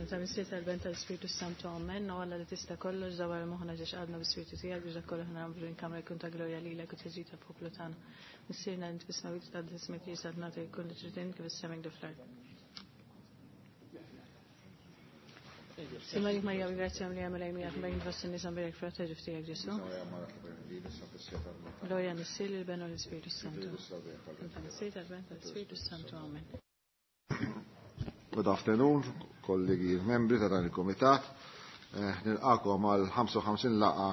Ta' Missier tal-Ben tal-Spiritu Santu Amen. U Alla li tista' kollox dawar moħħna ġiex qalbna bis-Spiritu tiegħek biex dak kollu ħna nagħmlu din-kamra jkun ta' glorja lilek u tiġi ta' poplu tagħna. Missierna int fis-smewwiet tqaddes ismek li saltnatek jkun li trid int kif is-sema kif fl-art. Simalik Marija bil-grazzja li għamel għajmija bejn fost in-nisa mbirek frott ta' ġuf tiegħek Ġesu. Glorja Missier il-Ben u l-Ispiritu Santu. Ta' Missier tal-Ben tal-Ispiritu Santu. Amen. Good afternoon, kollegi membri ta' dan il-komitat. Nilqakom għal 55 laqa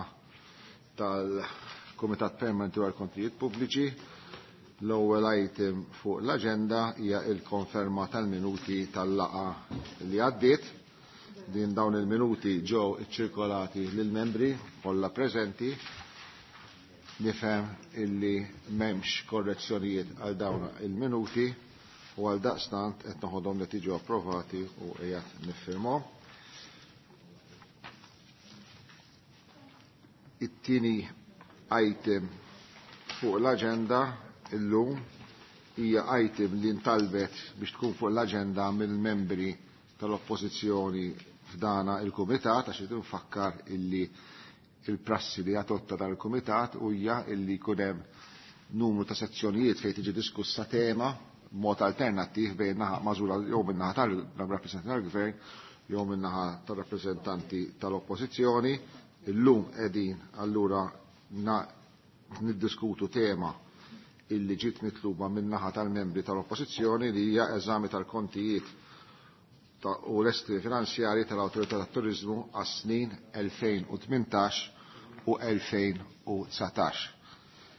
tal-Komitat Permanenti għal Kontijiet Pubbliċi. L-ewwel item fuq l-aġenda hija il-konferma tal-minuti tal-laqa li għaddiet. Din dawn il-minuti ġew iċċirkolati lill-membri kollha preżenti. Nifhem illi m'hemmx korrezzjonijiet għal dawn il-minuti u għal daqstant qed noħodhom li tiġu approvati u qiegħed niffirmhom. It-tieni item fuq l-aġenda illum hija item li ntalbet biex tkun fuq l-aġenda mill-membri tal-Oppożizzjoni f'dana il-Kumitat għax irid nfakkar illi il-prassi li adotta dal-Kumitat hija illi jkun hemm numru ta' sezzjonijiet fejn tiġi diskussa tema mod alternattiv bejn naħa magħżula jew minn naħa tal-rappreżentanti tal-Gvern jew minn naħa tal-rappreżentanti tal-Oppożizzjoni. Illum qegħdin allura niddiskutu tema illi ġiet mitluba minn naħa tal-membri tal-Oppożizzjoni li hija eżami tal-kontijiet u l-estimi finanzjari tal-Awtorità tat-Turiżmu għas-snin 2018 u 2019.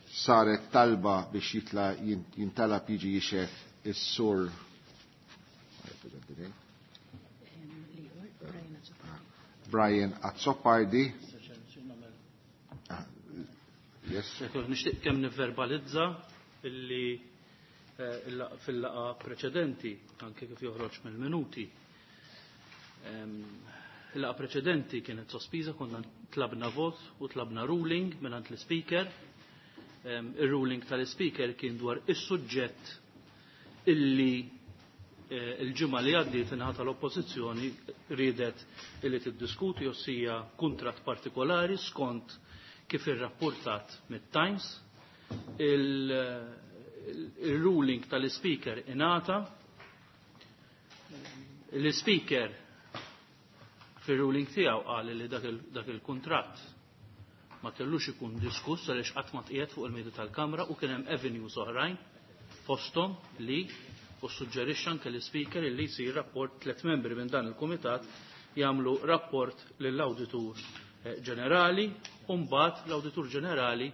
Saret talba biex jitla jintalab jiġi jixef is-sur Brian Azzopardi. Yes. Nixtieq kemm nivverbalizza illi fil-laqa preċedenti, anke kif joħroġ mill-minuti. Il-laqa preċedenti kienet sospiża, konna tlabna vot u tlabna ruling mingħand l-speaker. Il-ruling tal-speaker kien dwar is-suġġett illi il-ġimgħa li għaddiet in-naħa tal-Oppożizzjoni riedet illi tiddiskuti ossija kuntratt partikolari skont kif irrapportat mit-Times. Il-ruling tal-speaker ingħata. L-speaker fir-ruling tiegħu qal li dak il-kuntratt ma kellux ikun diskuss għaliex qatt ma tqiegħed fuq il-mejda tal-Kamra u kien hemm avenues oħrajn fosthom li u suġġerixxa anke l-speaker li jsir rapport tliet membri minn dan il-kumitat jagħmlu rapport lill-Awditur Ġenerali u mbagħad l-Awditur Ġenerali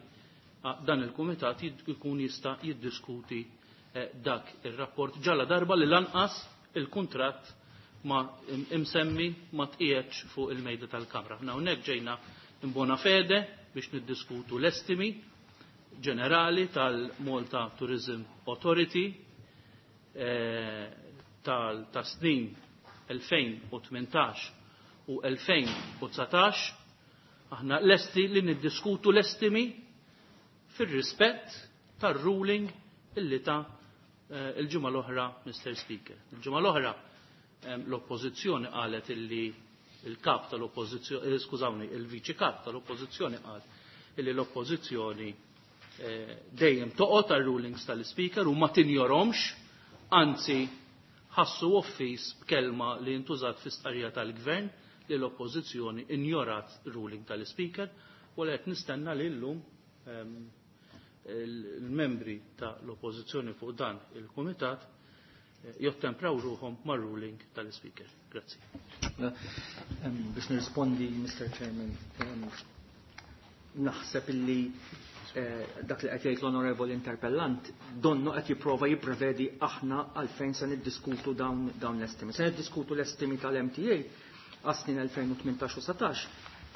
dan il-kumitat jkun jista' jiddiskuti dak ir-rapport ġalla darba li lanqas il-kuntratt ma imsemmi ma tqiegħedx fuq il-mejda tal-Kamra. Aħna hawnhekk ġejna in bona fede biex niddiskutu l-estimi ġenerali tal-Malta Tourism Authority tal-snin 2018 u 2019. Aħna lesti li niddiskutu l-estimi fir-rispett tar-ruling illi ta' il-ġimgħa l-oħra, Mr. Speaker. Il-ġimgħa l-oħra l-Oppożizzjoni qalet illi il-kap tal-Oppożizzjoni, skużawni, il-Viċi Kap tal-Oppożizzjoni qal illi l-Oppożizzjoni dejjem toqgħod tar-rulings tal-Speaker u ma tinjorhomx, anzi ħassu offiż b'kelma li ntużat fi stqarrija tal-Gvern li l-Oppożizzjoni injorat ruling tal-Speaker, u qed nistenna li llum il-membri tal-Oppożizzjoni fuq dan il-Kumitat jottempraw ruħhom mar-ruling tal-Speaker. Grazzi. Biex nirrispondi, Mr. Chairman, naħseb illi dak li qed jgħid l-Onorevoli Interpellant donnu qed jipprova jipprevedi aħna għalfejn se niddiskutu dawn l-estimi. Se niddiskutu l-estimi tal-MTA għas-snin 2018 u 19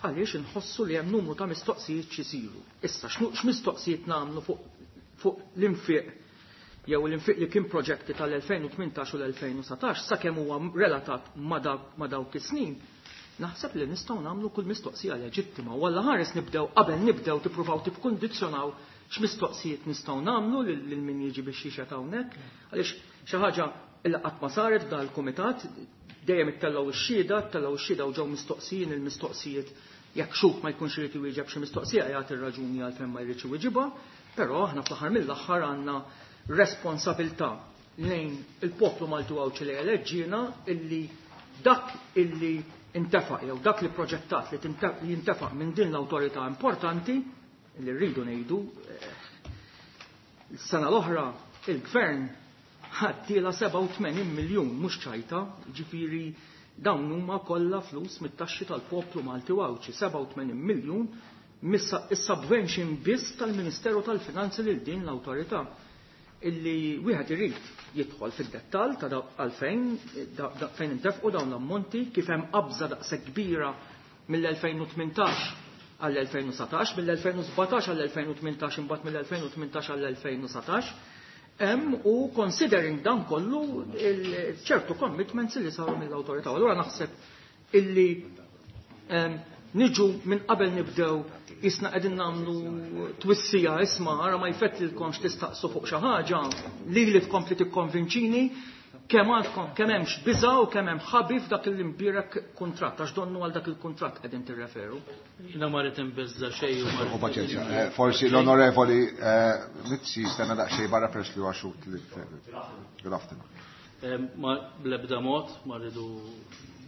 għaliex inħossu li hemm numru ta' mistoqsijiet x'isiru. Issa x'mistoqsijiet nagħmlu fuq l-infiq jew l-infiq li kien proġetti tal-2018 u l-2019 sakemm huwa relatat ma' dawk is-snin, naħseb li nistgħu nagħmlu kull mistoqsija leġittima. U alla ħares nibdew qabel nibdew tippruvaw tikkundizzjonaw x'mistoqsijiet nistgħu nagħmlu lil min jiġi biex jixhed hawnhekk, għaliex xi ħaġa li qatt ma saret f'dan il-kumitat. Dejjem ittellgħu x-xhieda, ttellgħu x-xhieda u ġew mistoqsijin il-mistoqsijiet jekk xhud ma jkunx irid iwieġeb xi mistoqsija jagħti r-raġuni għalfejn ma jridx iwieġibha, però aħna fl-aħħar mill-aħħar għandna responsabilità lejn il-poplu Malti u Għawdxi li eleġġiena illi dak illi intefaq jew dak li proġettat li jintefaq minn din l-awtorità importanti li rridu ngħidu s-sena l-oħra il-gvern ħaddiela 87 miljun mhux ċajta, ġifieri dawn huma kollha flus mit-taxxi tal-poplu Malti u Għawdxi, 87 miljun is-subvention biss tal-Ministeru tal-Finanzi lil din l-awtorità illi wieħed irid jidħol fid-dettall ta' għalfejn fejn intefqu dawn l-ammonti, kif hemm qabża daqshekk kbira mill-2018 għall-2019, mill-2017 għall-2018, imbagħad mill-2018 għall-2019. Hemm u considering dan kollu ċertu commitments li saru mill-awtorità. Allura naħseb illi niġu minn qabel nibdew isna qegħdin nagħmlu twissija isma' ara ma jfettilkomx tistaqsu fuq xi ħaġa li li tkompli tikkonvinċini kemm għandkom kemm hemmx biża' u kemm hemm ħabi f'dak il-imbierek kuntratt għax donnu għal dak il-kuntratt qegħdin tirreferu. Jiena ma rrid inbeżża' xejn u ma U paċenzja. Forsi l-Onorevoli Mizzi stenna daqsxejn barra peress li huwa xhud li Good afternoon. Ma bl-ebda mod ma rridu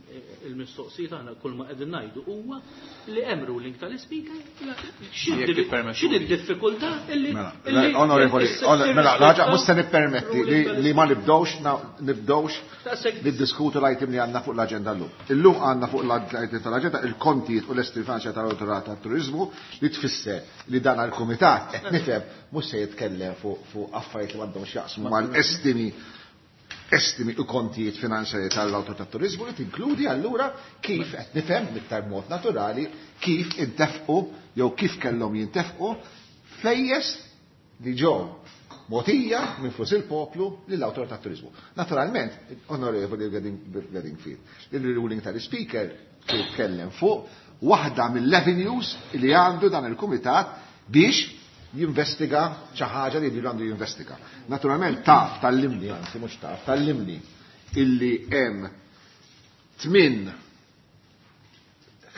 il-mistoqsijiet aħna kull ma qegħdin ngħidu huwa li hemm ruling tal-ispeaker. X'in id-diffikultà illi Mela, onorevoli, mela, l-ħaġa mhux se nippermetti li ma nibdewx niddiskutu l-item li għandna fuq l-aġenda llum. Illum għandna fuq l-item tal-aġenda il-kontijiet u l-estimi finanzjarji tal-Awtorità tat-Turiżmu li tfisser li dan għall-Kumitat qed nifhem mhux se jitkellem fuq affarijiet li m'għandhomx jaqsmu mal-estimi estimi u kontijiet finanzjarji tal-Awtorità tat-Turiżmu li tinkludi allura kif qed nifhem b'iktar mod naturali kif intefqu jew kif kellhom jintefqu flejjes li ġew mogħtija minn flus il-poplu lill-Awtorità tat-Turiżmu. Naturalment, Onorevoli Bedingfield, il-ruling tal-Speaker jitkellem fuq waħda mill-avenues li għandu dan il-Kumitat biex jinvestiga xi ħaġa li jridu għandu jinvestiga. Naturalment taf tal-limni, anzi mhux taf tal-limni, illi hemm 8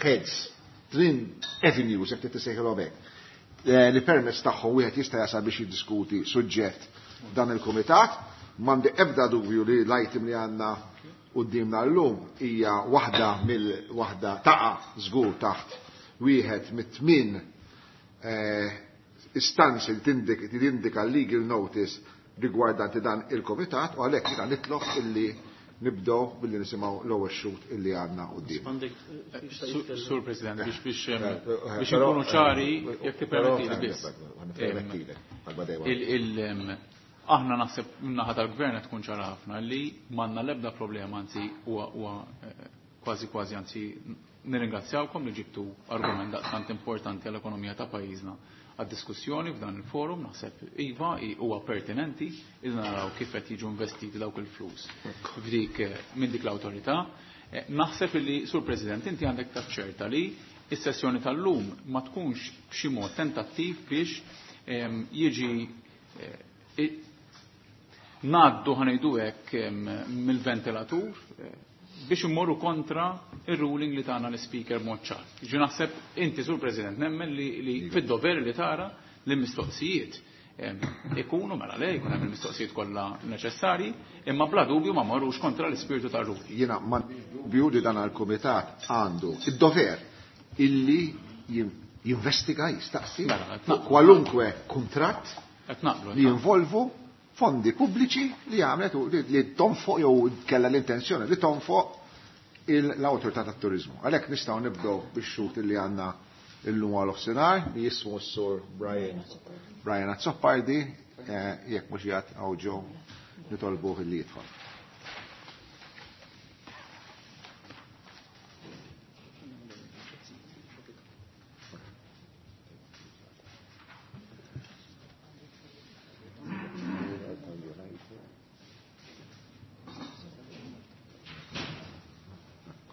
heads, 8 avenues, jekk tissejħilhom hekk, li permezz tagħhom wieħed jista' jasal biex jiddiskuti suġġett dan il-kumitat. M'għandi ebda dubju li l-item li għandna quddiemna llum hija waħda mill-waħda taqa' żgur taħt wieħed mit-tmien istanzi li tindika legal notice rigwardanti dan il-komitat u għalhekk jiena nitlob illi nibdew billi nisimgħu l-ewwel xhud illi għandna quddiem. Sur President, biex inkunu ċari, jekk tippermettili biss. Aħna naħseb min-naħa tal-gvern qed tkun ċara ħafna li m'għandna l-ebda problema, anzi huwa kważi kważi anzi nirringrazzjawkom li ġibtu argument daqstant importanti għall-ekonomija ta' pajjiżna għad-diskussjoni f'dan il-forum, naħseb iva huwa pertinenti iżda naraw kif qed jiġu investiti dawk il-flus f'dik minn dik l-awtorità. Naħseb li, Sur President, inti għandek taċċerta li is-sessjoni tal-lum ma tkunx b'xi mod tentattiv biex jiġi ngħaddu ħanejdu hekk mill-ventilatur biex immorru kontra il-ruling li tagħna l-speaker mod ċar. Ġi naħseb inti, Sur President, nemmen li fid-dover li tara li mistoqsijiet ikunu mela le jkun hemm il-mistoqsijiet kollha neċessarji, imma bla dubju ma marrux kontra l-ispirtu tar-ruling. Jiena ma dubju li dan il-kumitat għandu id-dover illi jinvestiga, jistaqsi Mela, qed fuq naqblu. kwalunkwe kuntratt Qed naqblu, qed li naqblu. jinvolvu fondi pubbliċi li għamlet u li tonfoq jew kellha l-intenzjoni li tonfoq l-Awtorità tat-Turiżmu. Għalhekk nistgħu nibdew bix-xhud li għandna illum għal nofsinhar li jismu s-sur Brian Azzopardi, jekk mhux qiegħed hawn ġew nitolbuh li jidħol.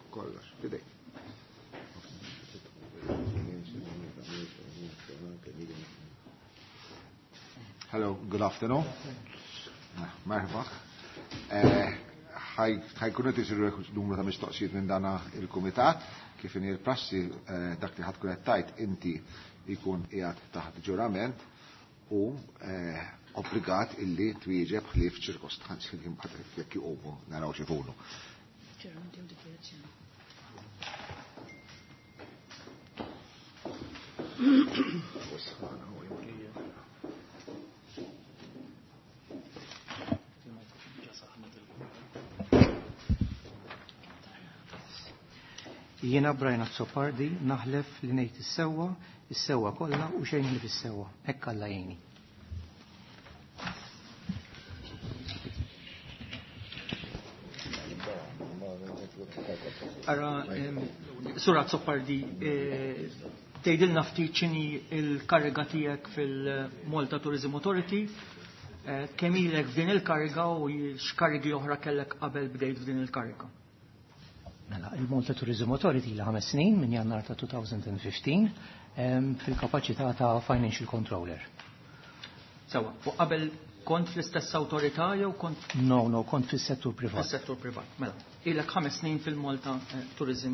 Kollox, fidejk. Hello, good afternoon. Merħba. Ħajkunu qed isiru numru ta' mistoqsijiet minn dana il-kumitat kif inhi l-prassi dak li ħatkun qed tgħid inti jkun qiegħed taħt ġurament u obbligat illi twieġeb ħlief ċirkostanzi li mbagħad jekk iqumu naraw x'ikunu. Jiena Brian Azzopardi naħlef li ngħid is-sewwa, is-sewwa kollha u xejn ħlief is-sewwa. Hekk Alla jgħinni. Ara, Sur Azzopardi, tgħidilna ftit x'inhi l-kariga tiegħek fil-Malta Tourism Authority, kemm ilek f'din il-kariga u x'karigi oħra kellek qabel bdejt f'din il-kariga? Mela, il-Malta Tourism Authority ilha 5 snin minn Jannar ta' 2015 fil-kapaċità ta' Financial Controller. Sewa, u qabel kont fl-istess awtorità jew kont? No, no, kont fis-settur privat. Fis-settur privat, mela. Ilek 5 snin fil-Malta Tourism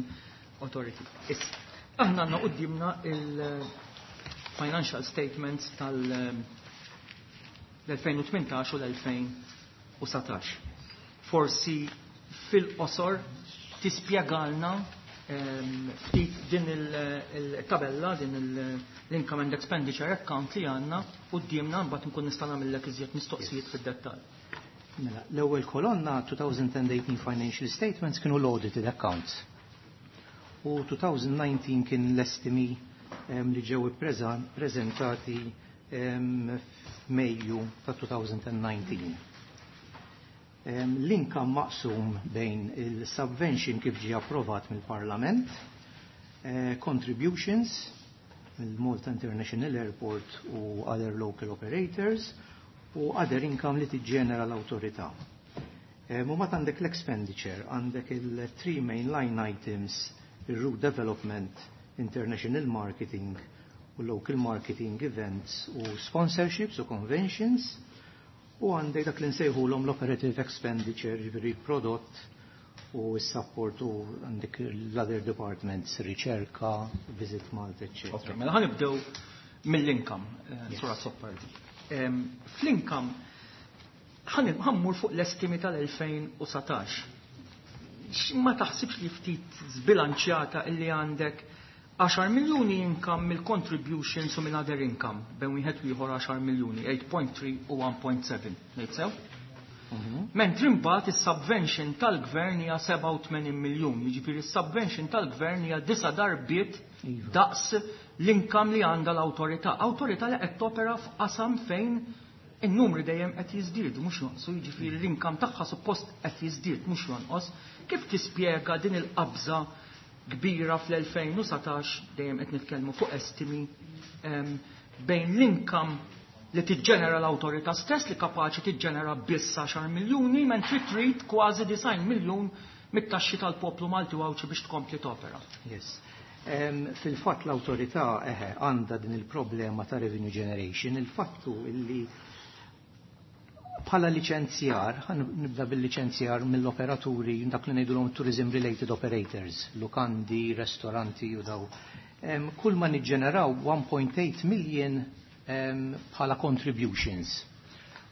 Authority. Issa, aħna għandna quddiemna il-financial statements tal-2018 u l-2019. Forsi fil-qosor tispjegalna ftit din il-tabella, din l-income and expenditure account li għandna quddiemna, mbagħad nkun nista' nagħmellek iżjed mistoqsijiet fid-dettall. Mela, l-ewwel kolonna 2018 financial statements kienu l-audited accounts. U 2019 kien l-estimi li ġew ippreżentati f'Mejju ta' 2019. L-income maqsum bejn il-subvention kif ġie approvat mill-Parlament, contributions mill-Malta International Airport u other local operators u other income li tiġġenera l-awtorità. U mbagħad għandek l-expenditure, għandek il-three main line items, il-route development, international marketing u local marketing events u sponsorships u conventions, u għandek dak li nsejħulhom l-operative expenditure, ġifieri prodott u s-support u għandek l-other departments, riċerka, Visit Malta, eccetera. Ok, mela ħanibdew mill-income, Sur Azzopardi. Fl-income ħammur fuq l-estimi tal-2019. Ma taħsibx li ftit zbilanċjata illi għandek 10 miljuni income mill-contributions u minn other income, bejn wieħed u ieħor 10 miljuni, 8.3 u 1.7, ngħid sew? Mentri mbagħad is-subvention tal-gvern hija 87 miljun, jiġifieri is-subvention tal-gvern hija 9 darbiet daqs l-income li għandha l-awtorità. Awtorità li qed topera f'qasam fejn in-numri dejjem qed jiżdiedu mhux jonqsu, jiġifieri l-income tagħha suppost qed jiżdied mhux jonqos. Kif tispjega din il-qabża kbira fl-2019, dejjem qed nitkellmu fuq estimi, bejn l-income li tiġġenera l-awtorità stess li kapaċi tiġġenera biss 10 miljuni, mentri trid kważi 9 miljun mit-taxxi tal-poplu Malti u Għawdxi biex tkompli topera. Yes. Fil-fatt l-awtorità għandha din il-problema ta' revenue generation, il-fattu illi bħala liċenzjar, ħan nibda bil-liċenzjar mill-operaturi, dak li ngħidulhom tourism related operators, lukandi, ristoranti u daw. Kull ma niġġeneraw 1.8 million bħala contributions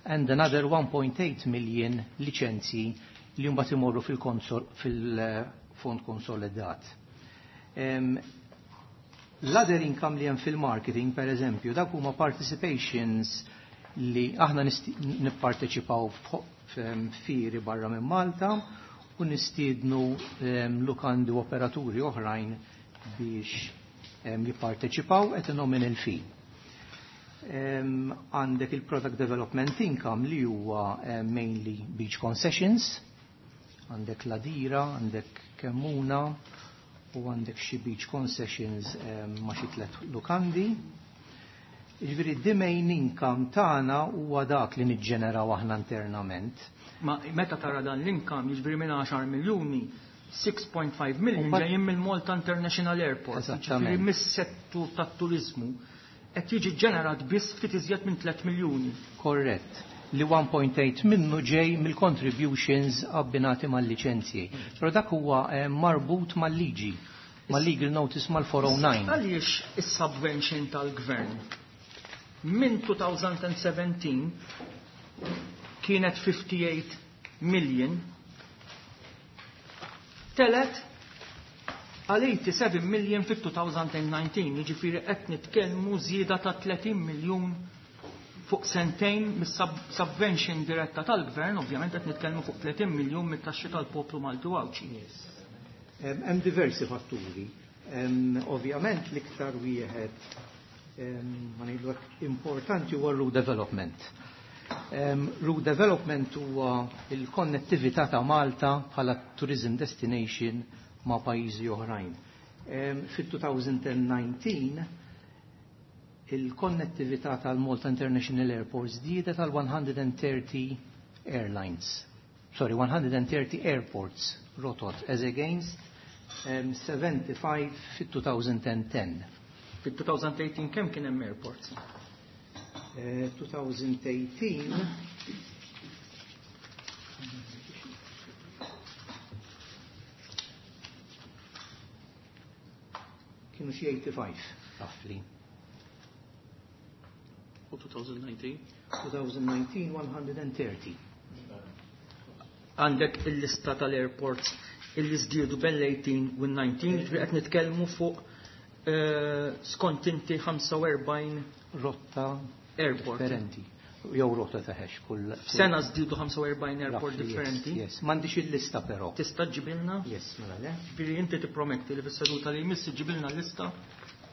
and another 1.8 million liċenzji li mbagħad imorru fil-fond konsolidat. L-other income li hemm fil-marketing, per eżempju, dak huma participations li aħna nipparteċipaw f'fieri barra minn Malta u nistiednu lukandi u operaturi oħrajn biex jipparteċipaw at a nominal fee. Għandek il-product development income li huwa mainly beach concessions, għandek Ladira, għandek Kemmuna u għandek xi beach concessions ma' xi tliet lukandi. Jiġifieri the main income tagħna huwa dak li niġġeneraw aħna internament. Ma meta tara dan l-income, jiġifieri minn 10 miljuni, 6.5 million ġejjin mill-Malta International Airport. Eżattament. Jiġifieri mis-settur tat-turizmu qed jiġi ġenerat biss ftit iżjed minn 3 miljuni. Korrett. li 1.8 minnu ġej mill-contributions abbinati mal-liċenzji. Però dak huwa marbut mal-liġi, mal-legal notice mal-409. Għaliex is-subvention tal-gvern minn 2017 kienet 58 million telgħet għal 87 million fit-2019, jiġifieri qed nitkellmu żieda ta' 30 miljun fuq sentejn mis-subvention diretta tal-gvern, ovvjament qed nitkellmu fuq 30 miljun mit-taxxi tal-poplu Malti u Għawdxi. Hemm diversi fatturi. Ovvjament l-iktar wieħed, ma ngħidu hekk, importanti huwa route development. Route development huwa il-konnettività ta' Malta bħala tourism destination ma' pajjiżi oħrajn. Fit-2019 il-konnettività tal-Malta International Airport żdiedet għal 130 airlines. Sorry, 130 airports rotot as against 75 fit-2010. Fit-2018 kemm kien hemm airports? 2018 kienu xi 85 roughly. U 2019? 2019 130. Għandek il-lista tal-airports illi żdiedu bejn l-18 u l-19, ġifieri qed nitkellmu fuq skont inti 45 rotta airport differenti. Jew rotta taħex kull Sena żdiedu 45 airport Roughly, yes, differenti. Yes, m'għandix il-lista però. Tista' ġibilna? Yes, mela le. Ġifieri inti tipprometti li fis-seduta li jmiss ġibilna l-lista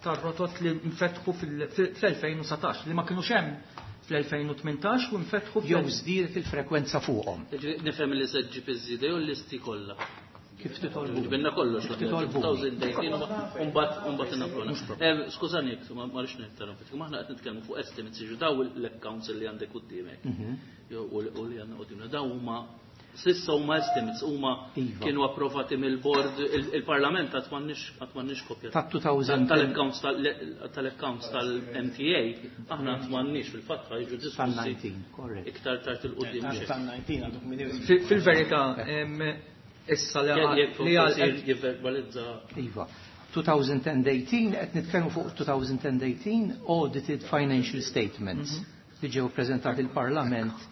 tar-rotot li nfetħu fl-2019 li ma kinux hemm fl-2018 u nfetħu Jew żdiedet il-frekwenza fuqhom. Ġifieri nifhem li se ġġib iż-żieda jew l-listi kollha. Kif titolbu? Ġibinna kollox, Kif titolbu? 2018 u mbagħad inafruna. Skużani, ma rridx ninterrompik, ma aħna qed nitkellmu fuq estimates, jiġu daw l-accounts li għandek quddiemek. Jew u li għandna quddiemna, daw huma sissa huma estimates, huma Iva. kienu approvati mill-board, il-Parlament qatt m'għandniex kopja. Ta' 2010. Tal-accounts tal-MTA, aħna qatt m'għandniex fil-fatt ħajġu diskussi Tal-19, correct. iktar tard il-qudiem. Tal-19 għaduk minn Fil-verità, issa li Jekk li għal forsi jivverbalizza. Iva. 2018, qed nitkellmu fuq 2018 audited financial statements li ġew preżentati il-Parlament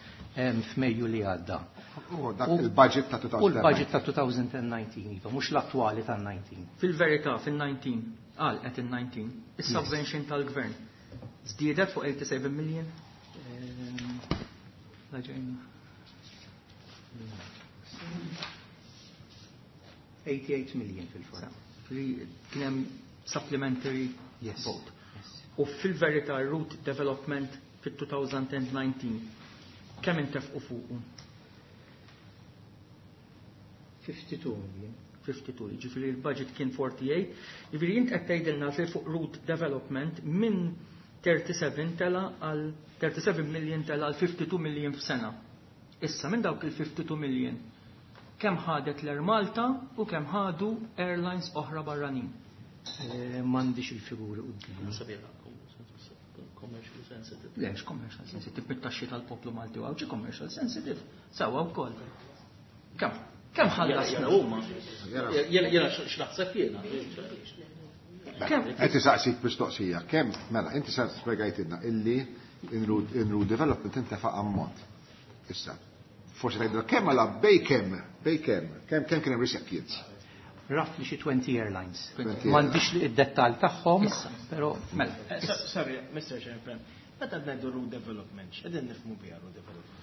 f'Mejju li għadda. U dak il-budget ta' U l-budget ta' 2019, iva, mhux l-attwali ta' 19. Fil-verità, fil-19, għal qed il-19, is-subvention tal-gvern żdiedet fuq 87 million. La ġejna. 88 million fil-fatt. Kien hemm supplementary Yes. vote. Yes. U fil-verità route development fit-2019 kemm intefqu fuqu? 52 million. 52, ġifieri il-budget kien 48, ġifieri jint qed tgħidilna li fuq route development minn 37 tela għal 37 million tela għal 52 million f'sena. Issa minn dawk il-52 million kemm ħadet l-Air Malta u kemm ħadu airlines oħra barranin. M'għandix il-figuri quddiem. Sabiħa, commercially sensitive. Lex commercial sensitive bit-taxxi tal-poplu Malti u Għawdxi commercial sensitive. Sewa wkoll. Kemm? Kemm ħallasna? Jena huma. Jena x'naħseb jiena. Kemm? Qed isaqsik mistoqsija, kemm mela inti sa spjegajtilna illi in route development intefa' ammont. Issa, forsi tgħidilna kemm għala bej kemm, bej kemm, kemm kemm kien hemm recipients. Roughly xi 20 airlines. 20 M'għandix id-dettall tagħhom, Issa. però Mela, Sorry, Mr. Chairman, meta ngħidu route development, x'qegħdin nifhmu biha route development?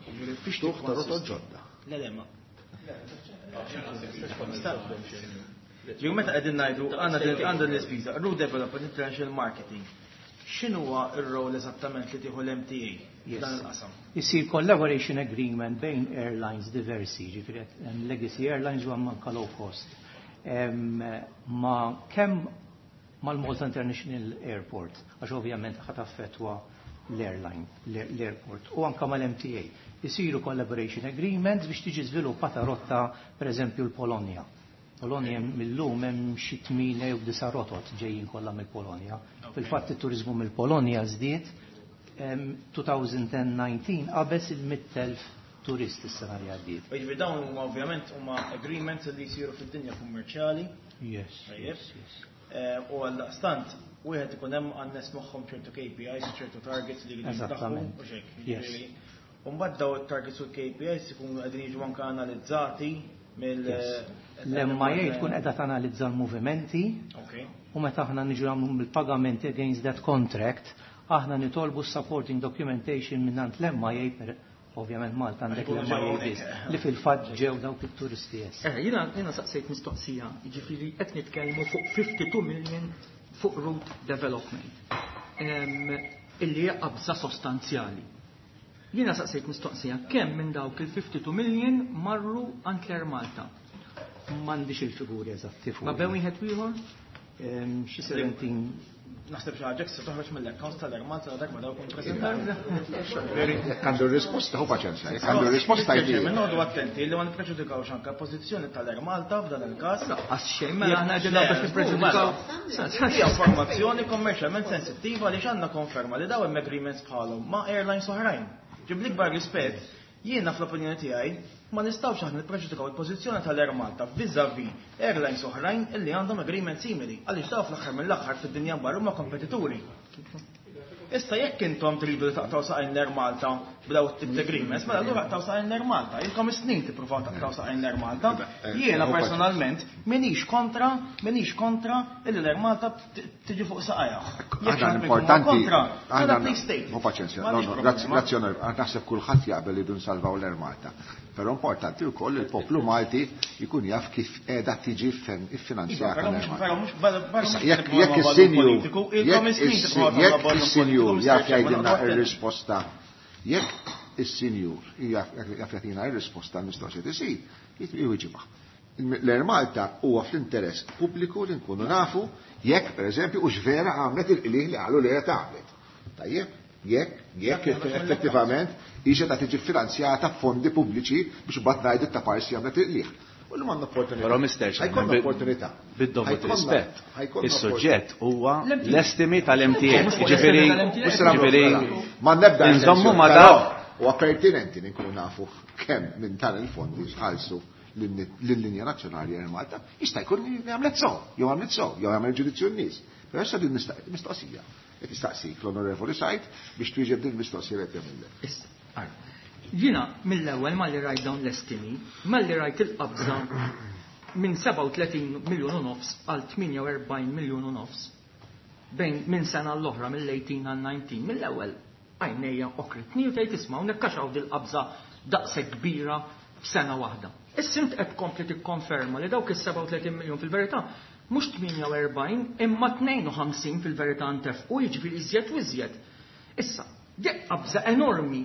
Jiġifieri fiex Tuħ ta' rotot tikkonsisti? ġodda. Le, le, ma. Ġifieri meta qegħdin ngħidu għandna din l-ispiża, route development international marketing. X'inhuwa r-rol eżattament li tieħu l-MTA Yes. f'dan il-qasam? Isir collaboration agreement bejn airlines diversi, ġifieri hemm legacy airlines u hemm anka low cost. Ma kemm mal-Malta International Airport, għax ovvjament ħat affettwa l-airline, l-airport, u anka mal-MTA. Isiru collaboration agreements biex tiġi żviluppata rotta, per eżempju, l-Polonja. Polonja mill-lum hemm xi tmien jew disa' rotot ġejjin kollha mill-Polonja. Fil-fatt it-turizmu mill-Polonja żdied 2019 qabeż il-100,000 turist is-sena li għaddiet. Jiġifieri dawn huma ovvjament huma agreements li jsiru fid-dinja kummerċjali. Yes. U għaldaqstant wieħed ikun hemm għan-nies magħhom ċertu KPIs, ċertu targets li jridu jintlaħqu u x'hekk. Jiġifieri, u mbagħad dawn it-targets u l-KPIs ikunu qegħdin jiġu anke analizzati mill L-MIA tkun qiegħda tanalizza l-movimenti u meta aħna niġu nagħmlu bil-pagamenti against that contract, aħna nitolbu supporting documentation mingħand l-MIA, ovvjament Malta għandek l-MIA biss, li fil-fatt ġew dawk it-turisti yes. Jiena saqsejt mistoqsija, jiġifieri qed nitkellmu fuq 52 million fuq route development, illi hija qabża sostanzjali. Jiena saqsejt mistoqsija, kemm minn dawk il-52 million marru għand l-Air Malta? M'għandix il-figuri eżatti fuq. Ma bejn wieħed u ieħor? Xi 17. Naħseb xi ħaġa se toħroġ mill-accounts tal-Air Malta dak ma dawk preżentati. Jekk għandu r-risposta, hu paċenzja, jekk għandu r-risposta jdi. Minn noqogħdu attenti li ma nippreġudikawx anke pożizzjoni tal-Air Malta f'dan il-każ. Għax xejn, mela aħna qegħdin biex nippreġudikaw. Hija informazzjoni kommerċjalment sensittiva li għandna konferma li dawn hemm agreements bħalhom ma' airlines oħrajn. Ġib l-ikbar rispett, jiena fl-opinjoni tiegħi ma nistgħux aħna nippreġudikaw il-pożizzjoni tal-Air Malta vis-à-vis airlines oħrajn illi għandhom agreement simili, għaliex daw fl-aħħar mill-aħħar fid-dinja barra huma kompetituri. Issa jekk intom tridu li taqtaw saqajn l-Air Malta b'daw it-tip ta' agreements, mela allura taqtaw saqajn l-Air Malta. Ilkom is-snin tippruvaw taqtaw saqajn l-Air Malta. Jiena personalment minix kontra, minix kontra illi l-Air Malta tiġi fuq saqajha. Jekk Aħna xi ħadd minnkom huwa importanti, kontra, aħna mela please state. Hu paċenzja, M'għandix no, no, problema. grazzi, onorevoli, naħseb kulħadd jaqbel li dun salvaw l-Air Malta. Però importanti wkoll li l-poplu Malti jkun jaf kif qiegħda tiġi iffinanzjata Però l-Air mhux Malta. però mhux barra barra Issa, mhux jekk tipprova jekk valur is-sinjur politiku, ilkom jekk is-snin tipprova jekk tagħmlu valur is-sinjur politiku, jaf Mr. Chairman, jgħidilna noqgħod attenti. r-risposta, jekk is-sinjur jaf jagħtina r-risposta għall-mistoqsija tisir, jwieġibha. L-Air Malta huwa fl-interess pubbliku li nkunu nafu jekk pereżempju hux vera għamlet il-qligħ li qalu li qed għamlet. Tajjeb, jekk effettivament hija ta' tiġi finanzjata f'fondi pubbliċi biex imbagħad ngħidu ta' parsi għamlet il-qligħ. U l għandna opportunità. Però Mr. Chairman, Ħajkollna opportunità. Bid-dovut rispett. Ħajkollna Is-suġġett huwa L-MTA. l-estimi tal-MTA. Mhux fuq Ġifieri, l-estimi tal-MTA. Mhux se nagħmlu ġifieri, mela. Ma nebda nżommu ma però dak. Huwa pertinenti li nkunu nafu kemm minn dan il-fondi tħallsu lill-linja nazzjonali Air Malta. Jista' jkun li għamlet sew, jew għamlet sew, jew għamel ġudizzju n-nies. Però issa din mistoqsija. Qed jistaqsik l-Onorevoli Said biex twieġeb din mistoqsija li qed jagħmilek. Issa, ara. Jiena mill-ewwel malli rajt dawn l-estimi, malli rajt il-qabża minn 37 miljun u nofs għal 48 miljun u nofs bejn minn sena l-oħra mill-18 għal 19, mill-ewwel għajnejja okritni u tgħid isma' hawnhekk għax hawn dil-qabża daqshekk kbira f'sena waħda. Issa int qed tkompli tikkonferma li dawk is-37 miljun fil-verità mhux 48 imma 52 fil-verità ntefqu, jiġifieri iżjed u iżjed. Issa, dik qabża enormi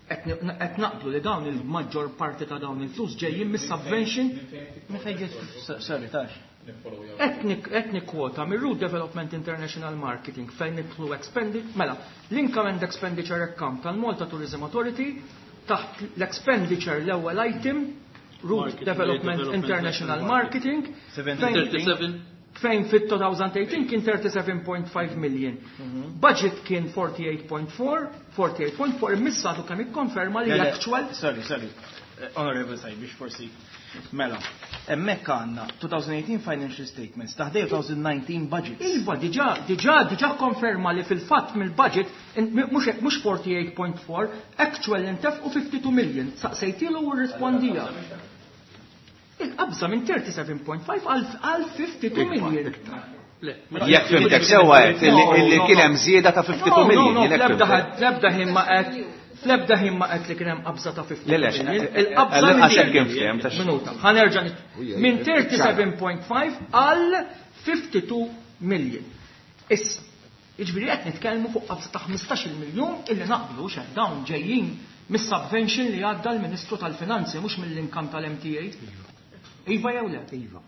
qed naqblu li dawn il-maġġor parti ta' dawn il-flus ġejjin mis-subvention. Minn fejn ġiet, sorry, tax. Qed nikkwota mir-Route Development International Marketing fejn nidħlu expenditure, mela, l-income and expenditure account tal-Malta Tourism Authority taħt l-expenditure l-ewwel item, Route Marketing, Development Development International International Marketing, 37. fejn fit-2018 kien 37.5 million. Budget kien 48.4, 48.4, immissatu kemm ikkonferma li Le, le, l-actual Sorry, sorry. Honorable Said, biex forsi. Mela, hemmhekk għandna 2018 financial statements, taħdej 2019 budgets. Iva, diġà konferma li fil-fatt mill-budget, mhux 48.4, actual intef u 52 million. Saqsejtilu u rrispondija. Il-qabża minn 37.5 għal 52 million. Le, Jekk fimtek sewwa qed illi kien hemm żieda ta' 52 No, no, million. no, jekk fl-ebda fimtek. fl-ebda ħin ma qed, fl-ebda ħin ma qed li kien hemm qabża ta' 52 Le, le, million. Il-qabża għall-inqas minn hekk kien fhem, ta' Minuta, ħanerġa' minn 37.5 għal 52 million. Issa, jiġifieri qed nitkellmu fuq qabża ta' 15 miljun illi naqblu x'hemm dawn ġejjin mis-subvention li għadda l-Ministru tal-Finanzi mhux mill-inkam tal-MTA. Iva jew le? Iva.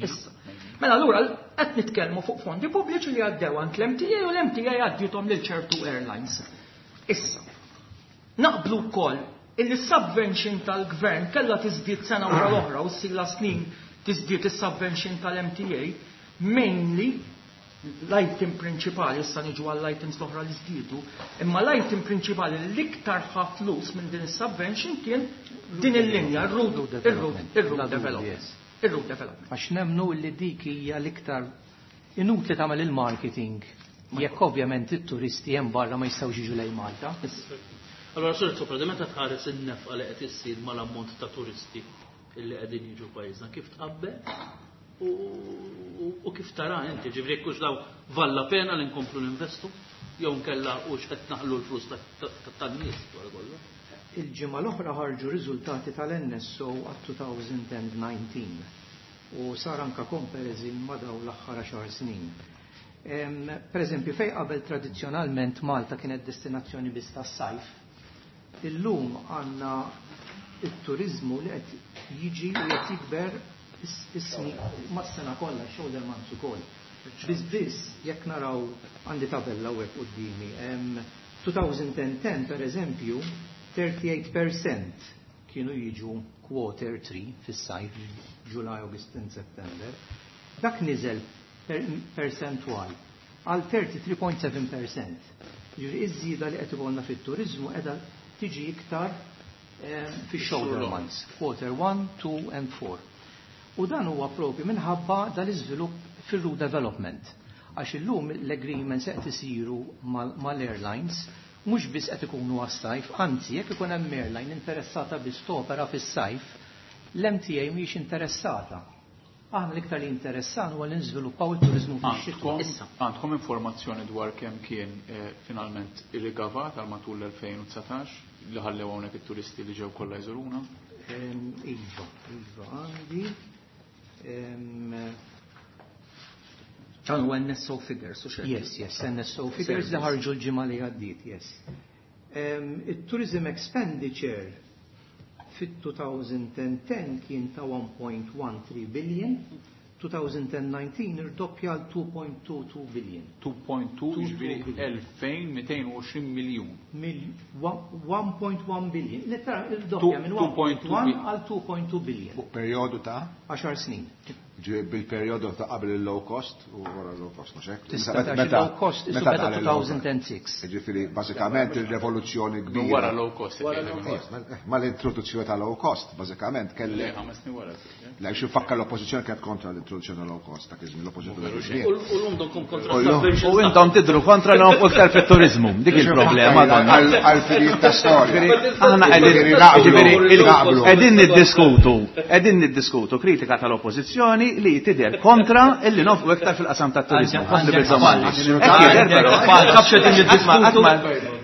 Issa. Mela allura qed nitkellmu fuq fondi pubbliċi li għaddew għand l-MTA u l-MTA għaddietom lil ċertu airlines. Issa, naqblu wkoll illi subvention tal-gvern kellha tiżdied sena wara l-oħra u ssila snin tiżdied is-subvention tal-MTA mainly L-item prinċipali, issa niġu għall-items l-oħra li żdiedu, imma l-item prinċipali l-iktar ħa flus minn din is-subvention kien din il-linja, ir-route development. Ir-route development. Għax nemnu li dik hija l-iktar inutli tagħmel il-marketing jekk ovvjament it-turisti hemm barra ma jistgħux jiġu lejn Malta. Allora, Sur Sopra, meta tħares in-nefqa li qed issir mal-ammont ta' turisti illi qegħdin jiġu pajjiżna, kif tqabbel u kif tara inti, ġifieri jekk hux daw valla pena li nkomplu ninvestu jew nkella hux qed naħlu l-flus tan-nies wara kollox. Il-ġimgħa l-oħra ħarġu riżultati tal-NSO għat-2019 u sar anka comparison ma' dawn l-aħħar 10 snin. Per eżempju, fej qabel tradizzjonalment Malta kienet destinazzjoni biss tas-sajf, illum għandna it-turizmu li qed jiġi u qed jikber is-snin mas-sena kollha, shoulder months ukoll. Biss biss jekk naraw għandi tabella hawnhekk quddiemi. 2010 per eżempju, 38% kienu jiġu quarter 3 fis-sajf, July, August and September. Dak niżel percentwal għal 33.7%. Ġifieri iż-żieda li qed ikollna fit-turiżmu qiegħda tiġi iktar fix-shoulder months, quarter 1, 2 and 4. U dan huwa propju minħabba dal-iżvilupp fir-route development. Għax illum l-agreements qed isiru mal-airlines mhux biss qed ikunu għas-sajf, anzi jekk ikun hemm airline interessata biss topera fis-sajf, l-MTA mhijiex interessata. Aħna l-iktar li interessan huwa li nżviluppaw it-turiżmu fix-xitwa. Għandkom informazzjoni dwar kemm kien finalment il-gavat għal matul l-2019 li ħallew hawnhekk it-turisti li ġew kollha jżuruna? Iva, iva, għandi. Dan huwa NSO figures, u xejn. Yes, yes, NSO figures li ħarġu l-ġimgħa li għaddiet, yes. Il-tourism expenditure fit-2010 kien ta' 1.13 billion, 2019 irdoppja għal 2.22 billion. 2.2 ġifieri 2220 miljun. 1.1 billion. Littra irdoppja minn 1.1 għal 2.2 billion. Fuq perjodu ta' 10 snin. Bil-perjodu ta' qabel il-low cost u wara l-low cost, mhux hekk? Tista' tgħid low cost isu beda 2006. Ġifieri bażikament ir-revoluzzjoni kbira. Wara low cost. Ma l-introduzzjoni ta' low cost, bażikament kelli. Ħames snin wara. La xi fakka l-oppożizzjoni kienet kontra l-introduzzjoni ta' low cost ta' iż-żmien l-oppożizzjoni. U llum donkom kontra subventions. U intom tidru kontra l iktar fit-turizmu. Dik il-problema donna. Għal-finijiet ta' storja. Aħna qegħdin niddiskutu, qegħdin niddiskutu kritika tal-oppożizzjoni li tidher kontra illi nofqu iktar fil-qasam tat-turizmu.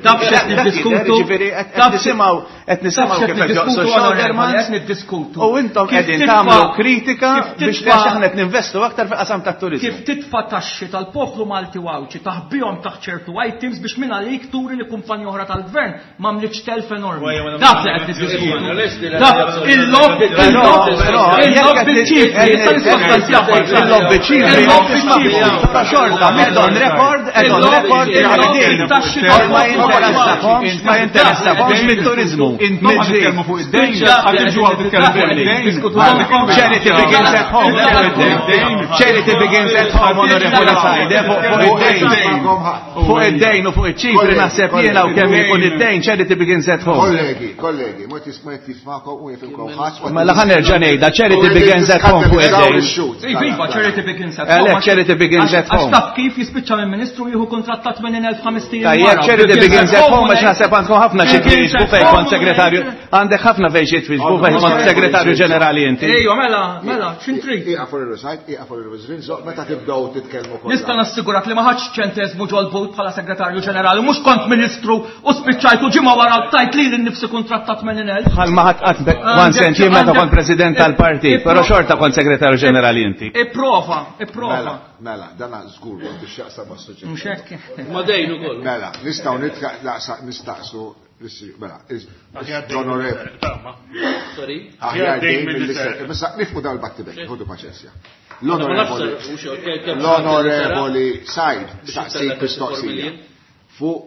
Taf x'qed niddiskutu. Qed nisimgħu kif qed joqsu shoulder months niddiskutu. U intom qegħdin tagħmlu kritika biex aħna qed ninvestu aktar fil-qasam tat-turizmu. Kif titfa' taxxi tal-poplu Malti u Għawdxi taħbihom taħt ċertu items biex minn għalik turi li kumpanija oħra tal-gvern m'għamlitx telf enormi. Dak li qed niddiskutu. Dak il-lob il-lob bil-ċifri, issa nissostanzjaw. Il-lob bil-ċifri. Ta' xorta, on record, on record, ma jinteressakomx mit-turizmu. Intom għad titkellmu fuq id-dejn, għad tiġu għad titkellmu fuq id-dejn. Charity begins at home. Charity begins at home, onorevoli Sajde, fuq id-dejn. Fuq id-dejn u fuq iċ-ċifri naħseb jiena u kemm ikun id-dejn, charity begins at home. Kollegi, kollegi, ma tismakom u jifimkom ħadd. Mela ħa nerġa' ngħidha, charity begins at home fuq id-dejn. Iva, charity begins at home. Charity begins at home. Għax taf kif jispiċċa minn ministru jieħu kuntratt ta' 80,000 ijiem. Tajjeb, charity begins at home għax naħseb għandkom ħafna xi twieġbu fejn kont segretarju. Għandek ħafna fejn xi twieġbu fejn kont segretarju ġenerali inti. Ejwa, mela, mela, x'intrid? Ieqa fuq il-resajt, ieqa fuq il-rinzo, meta tibdew titkellmu kollha. Nista' nassigurak li ma ħadx ċentesmu ġol-but bħala segretarju ġenerali, mhux kont ministru u spiċċajtu ġimgħa wara tajt li nnifsi kuntratt ta' 80,000. Bħal ma ħadd qatt one cent jien meta kont president tal-partit, però xorta kont segretarju ġenerali inti. Ipprova, ipprova. Mela, mela, dana żgur biex jaqsam mas-suġġett. Mhux hekk. Ma dejn ukoll. Mela, nistgħu nistaqsu mela, l-onorevoli. Sorry. Aħjar dejn mill-ser. Issa nifqu dawn il-battibek, ħudu paċenzja. L-onorevoli Said staqsik mistoqsija fuq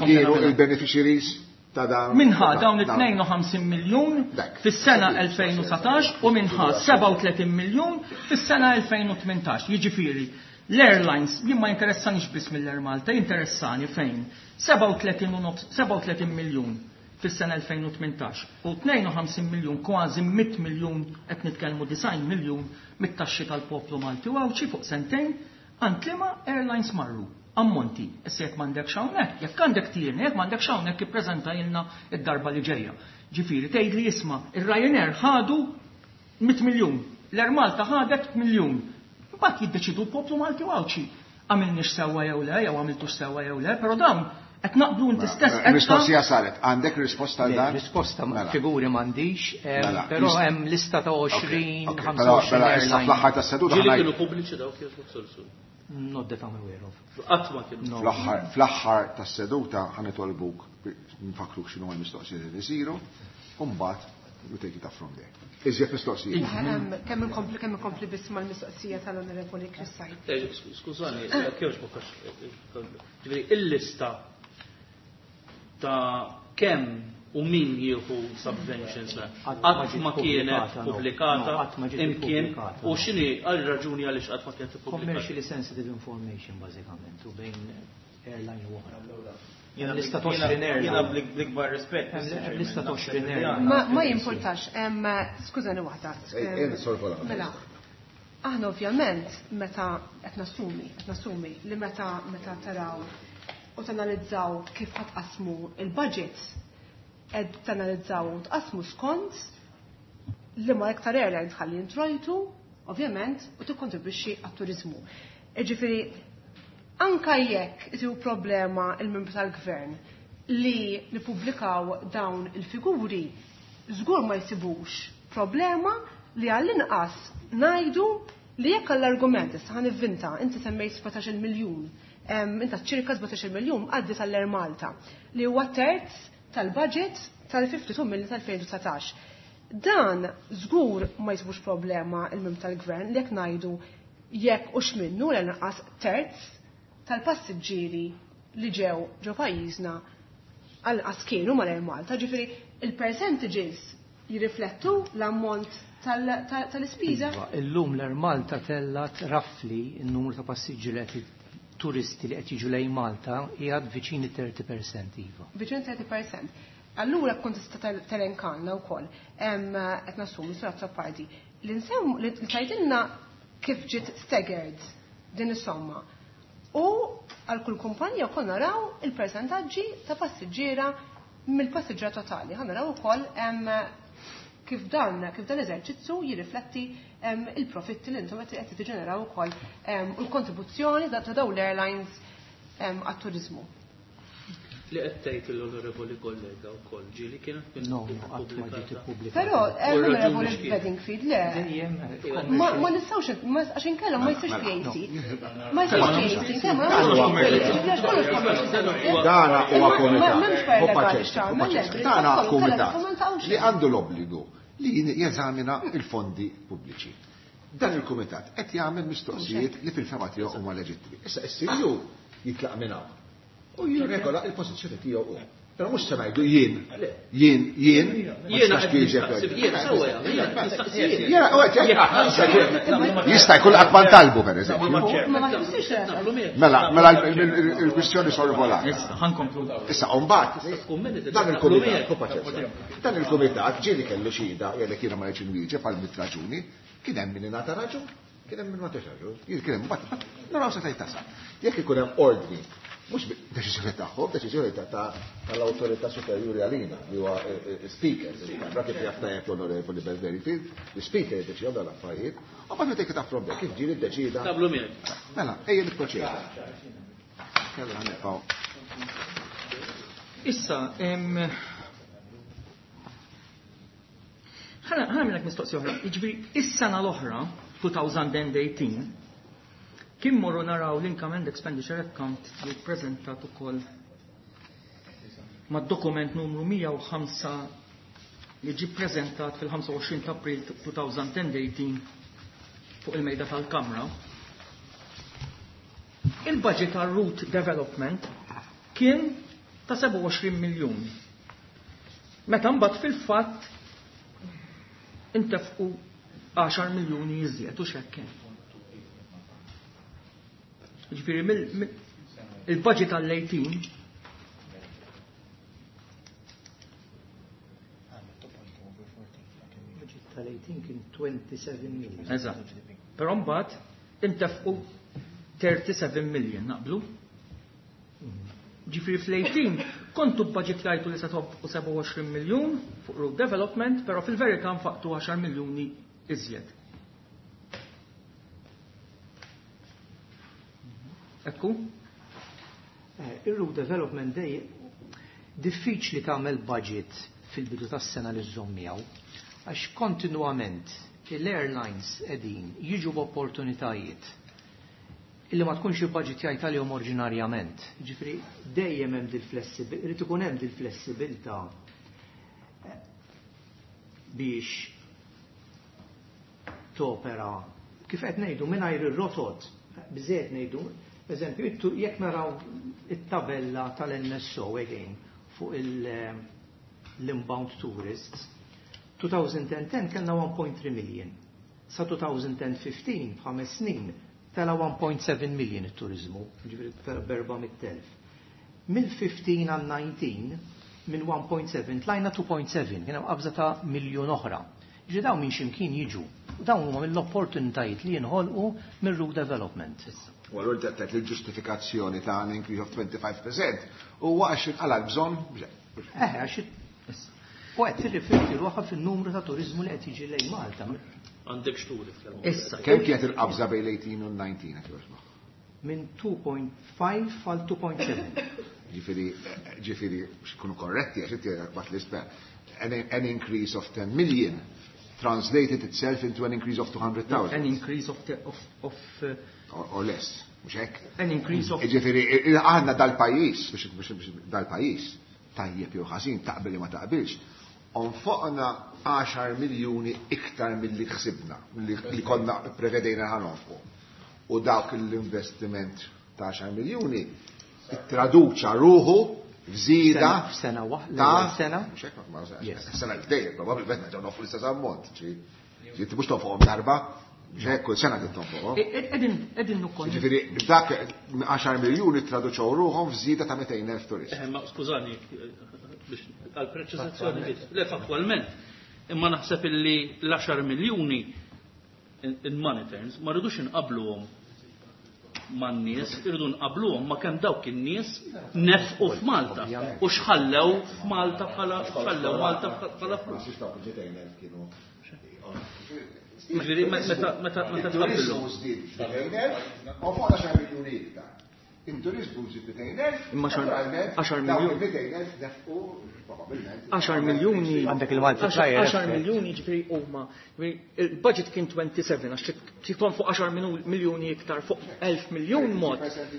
kienu il-beneficiaries ta' dawn. Minħa dawn it-52 miljun fis-sena 2019 u minħa 37 miljun fis-sena 2018. Jiġifieri, L-airlines, jien ma jinteressanix biss mill-Air Malta, jinteressani fejn 37 miljun fis-sena 2018 u 52 miljun, kważi 100 miljun, qed nitkellmu 90 miljun mit-taxxi tal-poplu Malti u Għawdxi fuq sentejn għand liema airlines marru. Ammonti. Issa jekk m'għandekx hawnhekk, jekk għandek tieni, jekk m'għandekx hawnhekk ippreżentajlna d-darba li ġejja. Ġifieri tgħidli isma' ir-Ryanair ħadu 100 miljun, l-Air Malta ħadet miljun. Imbagħad jiddeċidu l-poplu Malti u Għawdxi għamilniex sewwa jew le, jew għamiltux sewwa jew le, però dawn qed naqblu inti stess qed. Mistoqsija saret, għandek risposta għal dan? Risposta mela. figuri m'għandix, mela. però hemm lista ta' 20, 25. Mela issa fl-aħħar tas-seduta. Ġieli kienu pubbliċi dawk jew Not that I'm aware of. Qatt ma kienu. Fl-aħħar tas-seduta ħa nitolbuk nfakkruk x'inhu l-mistoqsijiet li jsiru, u mbagħad we take it up from there. Iżjed mistoqsijiet. Kemm inkompli kemm inkompli biss mal-mistoqsija tal-Onorevoli Chris Said. Eh, skużani, kif Ġifieri il-lista ta' kemm u min jieħu subventions qatt ma kienet pubblikata imkien u x'inhi għal raġuni għaliex qatt ma kienet ippubblikata. Commercially sensitive information bażikament u bejn airline u oħra. Jiena lista ta' 20 airline. Jiena bl-ikbar rispett. Lista ta' 20 airline. Ma jimpurtax, skużani waħda. Mela, aħna ovvjament meta qed nassumi, qed nassumi li meta meta taraw u tanalizzaw kif ħa tqassmu il-budget, qed tanalizzaw u tqassmu skont li ma iktar airline tħalli introjtu, ovvjament, u tikkontribwixxi għat-turiżmu. Jiġifieri anka jekk isibu problema il-membri tal-gvern li nippubblikaw dawn il-figuri, żgur ma jsibux problema li għall-inqas ngħidu li jekk għall-argument, issa ħa nivvinta, inti semmejt 17 miljun, inta ċirka 17 miljun għaddi tal-Air Malta, li huwa terz tal-budget tal-52 miljun tal-2019. Dan żgur ma jsibux problema il-membri tal-gvern li jekk ngħidu jekk hux minnu l-inqas terz tal-passiġġieri li ġew ġo pajjiżna għal-inqas kienu mal-Air Malta, ġifieri il-percentages jirriflettu l-ammont tal-ispiża? Iva, illum l-Air Malta tellat roughly n-numru ta' passiġġieri li qed turisti li qed jiġu lejn Malta qiegħed viċin 30% iva. Viċin 30%. Allura kont tista' telenkalna wkoll qed nassumi Sur Azzopardi li nsemmu li tgħidilna kif ġiet staggered din is-somma. U għal kull kumpanija wkoll naraw il-persentaġġi ta' passiġġiera mill-passiġġiera totali. Ħa naraw ukoll kif dan kif dan l-eżerċizzju jirrifletti il-profitti li intom qed tiġġeneraw ukoll u l-kontribuzzjoni ta' dawn l-airlines għat-turiżmu. Li qed tgħid l-onorevoli kollega wkoll ġieli kienet No, no, qatt ma ġiet ippubblikata. Però onorevoli Bedingfield le. Ma nistgħux għax inkella ma jsirx PAC. Ma jsirx PAC, ma Dana huwa komitat. Dana komitat li għandu l-obbligu li jeżamina il-fondi pubbliċi. Dan il-kumitat qed jagħmel mistoqsijiet li fil-fema tiegħu huma leġittimi. Issa s-CU jitlaq minn hawn u jirregola il-pożizzjoni tiegħu hu. Però mhux se ngħidu jien, jien, jien, ma tistax twieġeb. Jista' jkun qatt ma ntalbu pereżempju. Mela, mela il-kwistjoni sorvolata. Issa mbagħad dan il-kumitat, dan il-kumitat ġieli kellu xhieda jgħidlek jiena ma rridx inwieġeb għal mit raġuni, kien hemm min ingħata raġun, kien hemm min ma tax raġun, kien hemm mbagħad naraw se tgħid tasal. Jekk ikun hemm ordni, mhux deċiżjoni tagħhom, deċiżjoni tal-awtorità superjuri għalina, li huwa speaker, il-Kamra kif jaf tajjeb l-Onorevoli Bedingfield, l-speaker jiddeċidihom dawn l-affarijiet, u mbagħad take it up from there, kif ġieli ddeċida. Tablu miegħek. Mela, ejja nipproċedu. Kellha nibqgħu. Issa, ħa nagħmlek mistoqsija oħra. Jiġifieri, is-sena l-oħra, 2018, kien morru naraw l-Income and Expenditure Account li ppreżentat ukoll mad-dokument numru 105 li ġie ppreżentat fil-25 ta' April 2018 fuq il-mejda tal-Kamra. Il-budget għal route development kien ta' 27 miljun. Meta mbagħad fil-fatt intefqu 10 miljuni iżjed u xekk kien. Ġifieri il-budget għall-18 Budget tal-18 kien 27 million. Eżatt. Però mbagħad intefqu 37 million naqblu. Ġifieri fl-18 kontu budget lajtu li se tonfqu 27 miljun fuq road development, però fil-verità nfaqtu 10 miljuni iżjed. Ekku? Ir-road development day diffiċli tagħmel budget fil-bidu tas-sena li żżomm miegħu għax kontinwament l-airlines qegħdin jiġu b'opportunitajiet illi ma tkunx il-budget għalihom oriġinarjament. Ġifieri dejjem hemm dil-flessibilità, irid ikun hemm dil-flessibilità biex topera kif qed ngħidu mingħajr ir-rotot, biżejjed ngħidu, eżempju, jekk naraw it-tabella tal-NSO again fuq l-inbound tourists, 2010 kellna 1.3 million. Sa 2015, f'ħames snin, tela 1.7 million it-turizmu, ġifieri tela b'400,000. Mill-15 għal 19, minn 1.7 tlajna 2.7, kien hemm qabża ta' miljun oħra. Ġifieri dawn minn ximkien jiġu. U dawn huma mill-opportunitajiet li jinħolqu minn road development. U allura qed il-ġustifikazzjoni ta' an increase of 25% huwa għax inqala l-bżonn. Għax u qed tirrifletti ruħha fin-numru ta' turizmu li qed jiġi lejn Malta. Għandek xturi fl Issa. Kemm kienet il-qabża bejn l-18 u l-19 qed jogħġbok? Minn 2.5 għal 2.7. Ġifieri biex ikunu korretti għax inti bat l-isper. An increase of 10 million translated itself into an increase of 200,000. An increase of Or less, mhux hekk? An increase of Ġifieri aħna dal-pajjiż, biex dal-pajjiż tajjeb jew ħażin taqbel ma taqbilx, onfoqna 10 miljuni iktar milli ħsibna, milli konna prevedejna ħa nonfqu. U dawk l-investiment ta' 10 miljuni ittraduċa ruħu f'żieda F'sena waħda, ta' sena. Mhux hekk, ma Yes. sena l-dejjem, probabbilment nerġgħu nonfqu l-istess ammont. Ġi mhux tonfoqhom darba, mhux hekk kull sena trid tonfoqhom. Qegħdin ukoll. Ġifieri dak 10 miljuni traduċew ruħhom f'żieda ta' 200,000 turist. Ma skużani, biex għal-preċizazzjoni biss. Le fattwalment, imma naħseb illi l-10 miljuni in money terms ma rridux inqabluhom man-nies, irridu nqabluhom ma kemm dawk in-nies nefqu f'Malta u xħallew f'Malta bħala xħallew Malta bħala flus. Ma dawk il-200,000 kienu. Ġifieri meta meta meta Il-turizmu tqabbilhom. żdied 200,000 u fuq 10 miljuni iktar. Il-turizmu żdied 200,000, Imma naturalment, 10 dawk miljun. il-200,000 nefqu probabbilment. 10 miljuni. Għandek il-multiplier 10 effect. miljuni ġifieri huma. Ġifieri il-budget kien 27 għax tkun fuq 10 miljuni iktar fuq 1000 miljun mod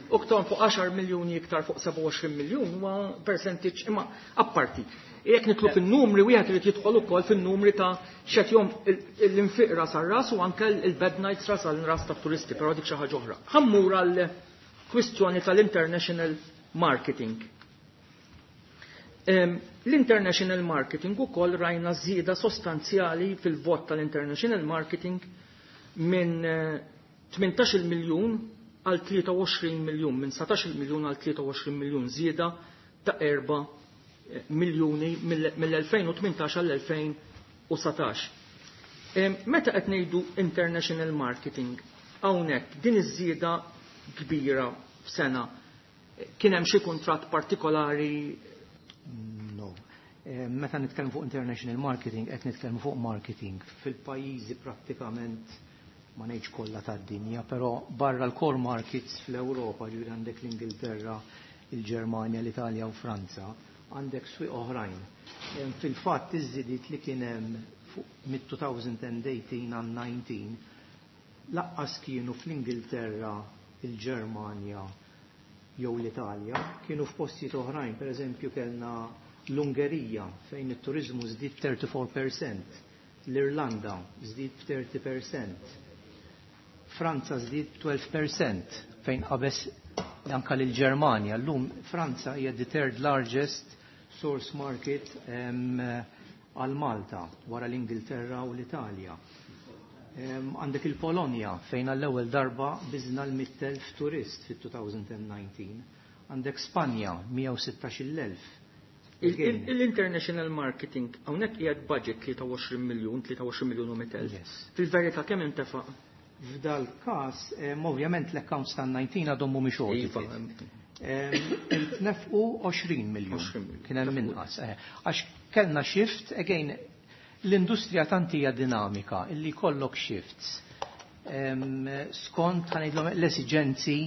u tkun fuq 10 miljuni iktar fuq 27 miljun huwa percentage imma apparti. Jekk nitlu fin-numri wieħed irid jidħol ukoll fin-numri ta' x'qed jom l-infiq ras għal ras u anke il-bed nights ras għal ras ta' turisti, però dik xi ħaġa oħra. Ħa mmur għal kwistjoni tal-international marketing. L-international marketing ukoll rajna żieda sostanzjali fil-vot tal-international marketing minn 18 miljun għal 23 miljun, minn 19 miljun għal 23 miljun, żieda ta' 4 miljuni mill-2018 għall-2019. Meta qed ngħidu international marketing, hawnhekk din iż-żieda kbira f'sena, kien hemm xi kuntratt partikolari? No. Meta nitkellmu fuq international marketing, qed nitkellmu fuq marketing fil-pajjiżi prattikament ma ngħidx kollha tad-dinja, però barra l-core markets fl-Ewropa, ġifieri għandek l-Ingilterra, il-Ġermanja, l-Italja u Franza, għandek swieq oħrajn. Fil-fatt iż-żidiet li kien hemm fuq mid-2018 għal 19 laqqas kienu fl-Ingilterra, il-Ġermanja jew l-Italja, kienu f'postijiet oħrajn, per eżempju kellna l-Ungerija fejn it-turizmu żdied 34%, l-Irlanda żdied 30%, Franza żdied 12% fejn qabeż anka lill-Ġermanja. Llum Franza hija the third largest source market għal Malta wara l-Ingilterra u l-Italja. Għandek il-Polonja fejn għall-ewwel darba biżna l-100,000 turist fit-2019. Għandek Spanja 116,000. Il-international marketing, hawnhekk qiegħed budget 23 miljun, 23 miljun u 100,000. Fil-verità kemm intefa'? F'dal każ, ovvjament l-accounts tan-19 għadhom mhumiex audited. Intnefqu 20 miljun. Kien hemm inqas. Għax kellna shift, again, l-industrija tant hija dinamika illi jkollok shifts skont, ħa ngħidlhom, l-esiġenzi.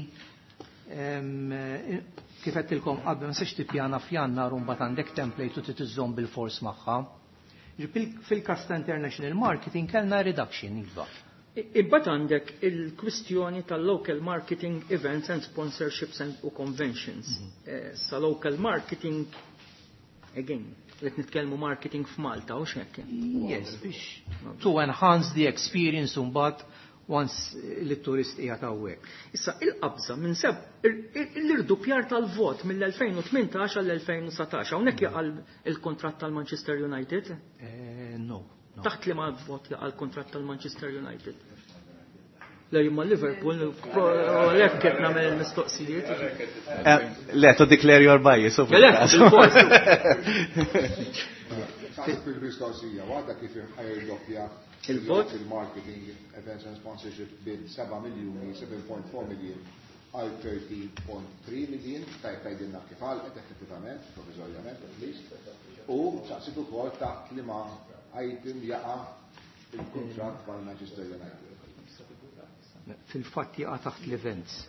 Kif għedtilkom qabel, ma nistax tippjana f'Jannar u mbagħad għandek template u trid iżżomm bil-fors magħha. Fil-każ ta' international marketing kellna reduction, iva. Imbagħad għandek il-kwistjoni tal-local marketing events and sponsorships and u conventions. Sa local marketing, again, qed nitkellmu marketing f'Malta u x'hekk. Yes, biex to enhance the experience mbagħad once li turist qiegħed hawnhekk. Issa il-qabża minn seb l-irdupjar tal-vot mill-2018 għall-2019, hawnhekk jaqa' il-kontratt tal-Manchester United? No. Taħt li ma vot jaqa' l-kontratt tal-Manchester United? Le, jimma Liverpool, għalhekk qed nagħmel il-mistoqsijiet. Le, to declare your bias. Le, bil-fors. Il-mistoqsija, għadha kif ħajrdoppja il-vot? Il-marketing, events and sponsorship bin 7 miljoni, 7.4 million għal 30.3 million, tajt tajdilna kif għalqet effettivament, provizorjament at least, u saqsit ukoll taħt li ma item jaqa' il-kuntratt mal-Manchester United. Fil-fatt jaqa' taħt l-events.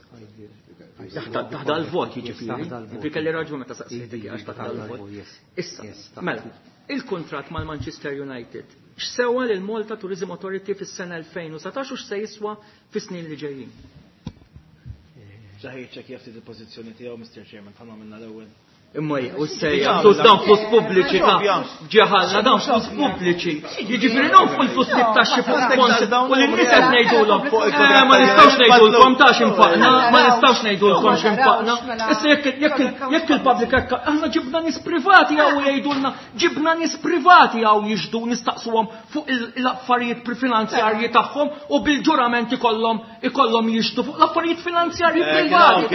Taħt dal-vot jiġifieri. Jiġifieri kelli raġun meta saqsejtek għax taħt dal-vot. Issa, mela, il-kuntratt mal-Manchester United x'sewa lil Malta Tourism Authority fis-sena 2019 u x'se jiswa fis-snin li ġejjin? Ġaħir ċek jafti il-pożizzjoni tiegħu, Mr. Chairman, ħa minna l-ewwel. Imma u sejja, flus dawn flus pubbliċi ta' ġeħalna, dawn flus pubbliċi. Jiġifieri non fuq il-flus li taxxi fuq sponsor u li nies qed ngħidulhom. Ma nistgħux ngħidulkom ta' x'infaqna, ma nistgħux ngħidulkom x'infaqna. Issa jekk il-public hekk aħna ġibna nies privati hawn jgħidulna, ġibna nies privati hawn jixdu nistaqsuhom fuq l-affarijiet finanzjarji tagħhom u bil-ġurament ikollhom jixdu fuq l-affarijiet finanzjarji privati.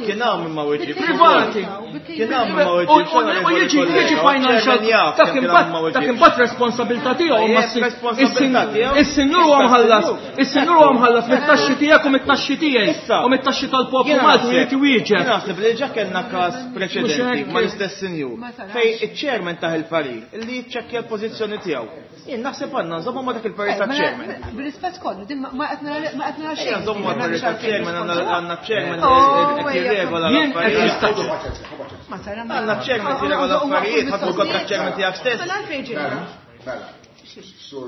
Kien hawn imma weġib. Privati. Kien hawn imma weġib. U jiġi financial dak imbagħad responsabilità tiegħu, ma is-sinjur huwa mħallas, is-sinjur huwa mħallas mit-taxxi tiegħek u mit-taxxi tiegħi u mit-taxxi tal-poplu Malti jrid iwieġeb. Naħseb li ġa kellna każ preċedenti mal-istess sinjur fej iċ-chairman taħ il-parir li jiċċekkja l-pożizzjoni tiegħu. Jien naħseb għandna nżommu ma dak il-parir ta' chairman. Bir-rispett kollu, din ma qed nara xejn. Nżommu ma parir ta' chairman, għandna chairman qed jirregola l-affarijiet. Għandna chairman jirregola l-affarijiet, ħadd kontra chairman tiegħek stess. Mela għalfejn ġejna. Mela, sur sur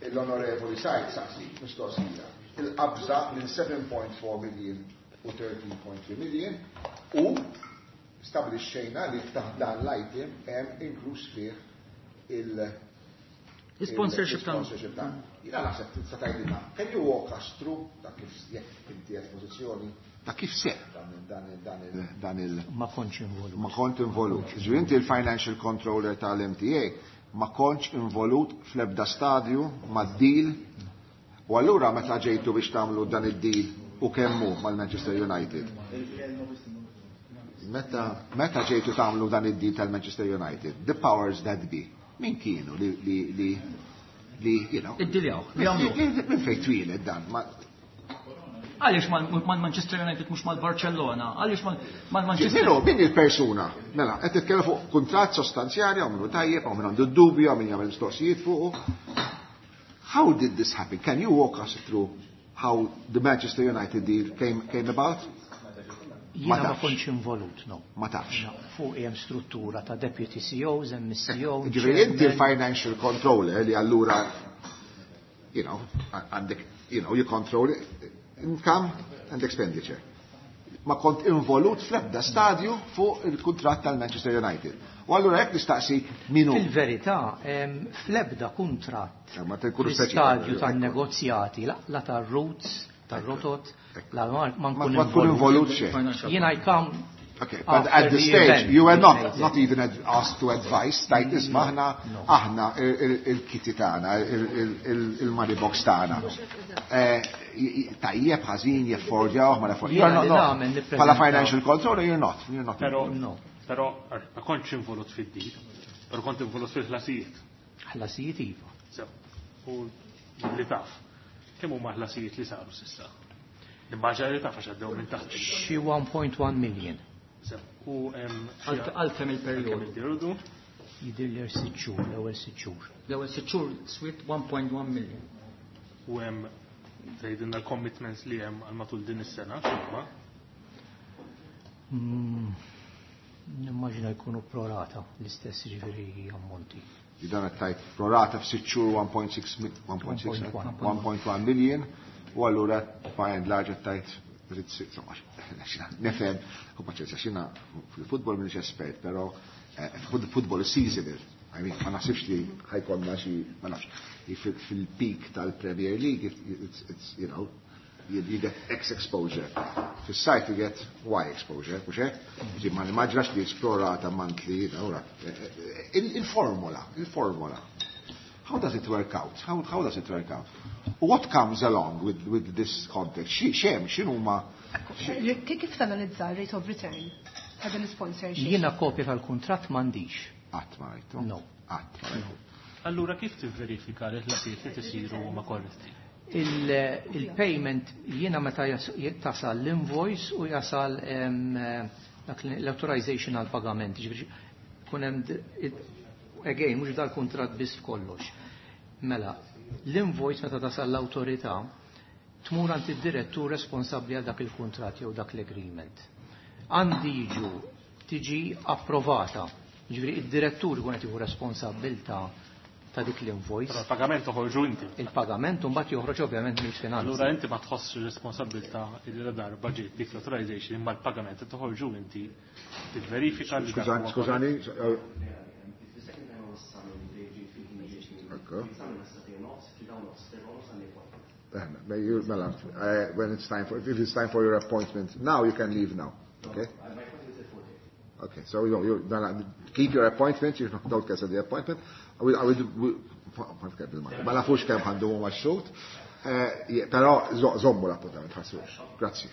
L-Onorevoli Said saqsi mistoqsija. Il-qabża minn 7.4 million u 13.3 million u stabilixxejna li taħt dan l-item hemm inkluż fih il- Sponsorship ta' sponsorship ta' Jiena naħseb tista' tgħidilna, can you walk us through ta' kif jekk inti qed pożizzjoni ta' kif seħ dan il Ma kontx involut. Ma kont involut. Ġifieri inti il-financial controller tal-MTA ma kontx involut fl-ebda stadju mad-deal. U allura meta ġejtu biex tagħmlu dan id-deal u kemmu mal-Manchester United? Meta ġejtu tagħmlu dan id-deal tal-Manchester United, the powers that be, min kienu li you know, Id-diljaw. Minn fejn twieled dan? Għaliex mal-Manchester United mhux mal-Barcellona? Għaliex mal-Manchester Minu, min il-persuna? Mela, qed titkellem fuq kuntratt sostanzjali, hawn minnu tajjeb, hawn min għandu d-dubju, hawn min jagħmel mistoqsijiet fuqu. How did this happen? Can you walk us through how the Manchester United deal came about? Jiena ma kontx involut, no. Ma tafx. No, fuq hemm struttura ta' deputy CEOs, hemm CEO. Ġifieri inti l-financial controller li allura, you know, għandek, you know, you control income and expenditure. Ma kont involut fl-ebda stadju fuq il-kuntratt tal-Manchester United. U allura jekk nistaqsi minu. Fil-verità, fl-ebda kuntratt Ma tkunu fl-istadju tan-negozjati, la tar-routes, tar-rotot, la ma nkun Ma tkun involut xejn. Jien I come Okay, but at After this the stage, event, you were we not, made not it. even asked to advise, tajt isma' aħna, No. aħna il-kitty tagħna, il-money box tagħna. Tajjeb ħażin jeffordjaw, ma jaffordjaw. Jiena You're li not, nagħmel no. nippreżentaw. Bħala financial controller, you're not. You're not. Pero, No. pero, ma kontx involut fid-deal, pero kont involut fil-ħlasijiet. Ħlasijiet iva. So, u li taf, kemm huma ħlasijiet li saru s'issa? Nimmaġina li taf għax għaddew minn taħt. Xi 1.1 million. So, u hemm xi Għal kemm il-perjodu? Kemm il-perjodu? Jidher li 6 xhur, l-ewwel 6 xhur. L-ewwel 6 xhur swiet 1.1 million. U hemm tgħidilna l-commitments li hemm għal matul din is-sena, x'huma? Nimmaġina jkunu prorata l-istess ġifieri ammonti. Dan qed tgħid prorata f'sitt xhur 1.6 1.6, 1.1. 1.1 million, u allura by and large qed tgħid trid ssir, insomma, nifhem, u paċenzja, xina fil-futbol m'iniex espert, però football is seasonal. I mean, ma naħsibx li ħajkonna xi, ma nafx, li fil-peak tal-Premier League, you get X exposure. Fis-sajf you get Y exposure, mhux hekk? Ġi ma nimmaġinax li esplorata monthly, you know, il-formula, il-formula. How does it work out? How does it work out? What comes along with this context? Xem, x'inhuma? Kif tanalizza rate of return ta' dan l-sponsorship? Jiena kopja tal-kuntratt m'għandix. Qatt ma rajtu? No. Qatt ma rajtu. Allura kif tivverifika li l-ħlasijiet li tisiru huma korretti? Il-payment jiena meta tasal l-invoice u jasal dak l-authorization għal pagament. Ġifieri kun hemm again, mhux dal-kuntratt biss f'kollox. Mela, l-invoice meta tasal l-awtorità tmur għand id-direttur responsabbli għal dak il-kuntratt jew dak l-agreement. Għandi jiġu tiġi approvata. Ġifieri id-direttur ikun qed jieħu responsabbiltà ta' dik l-invoice. Però il-pagament toħorġu inti. Il-pagament mbagħad joħroġ ovvjament mill-finanzi. Allura inti ma tħossx responsabbiltà li la darba ġiet dik l-authorization imma l-pagament toħorġu inti tivverifika li dak huwa Skużani, korrett. Ekku. Mela, when it's time for, if it's time for your appointment, now you can leave now. Okay? Okay, so you know, you, no, no, keep your appointment, you don't cancel the appointment. I will, I will, we, ma nafux kemm ħandu huma x-xut, però żommu l-appuntament, ħassux. Grazzi.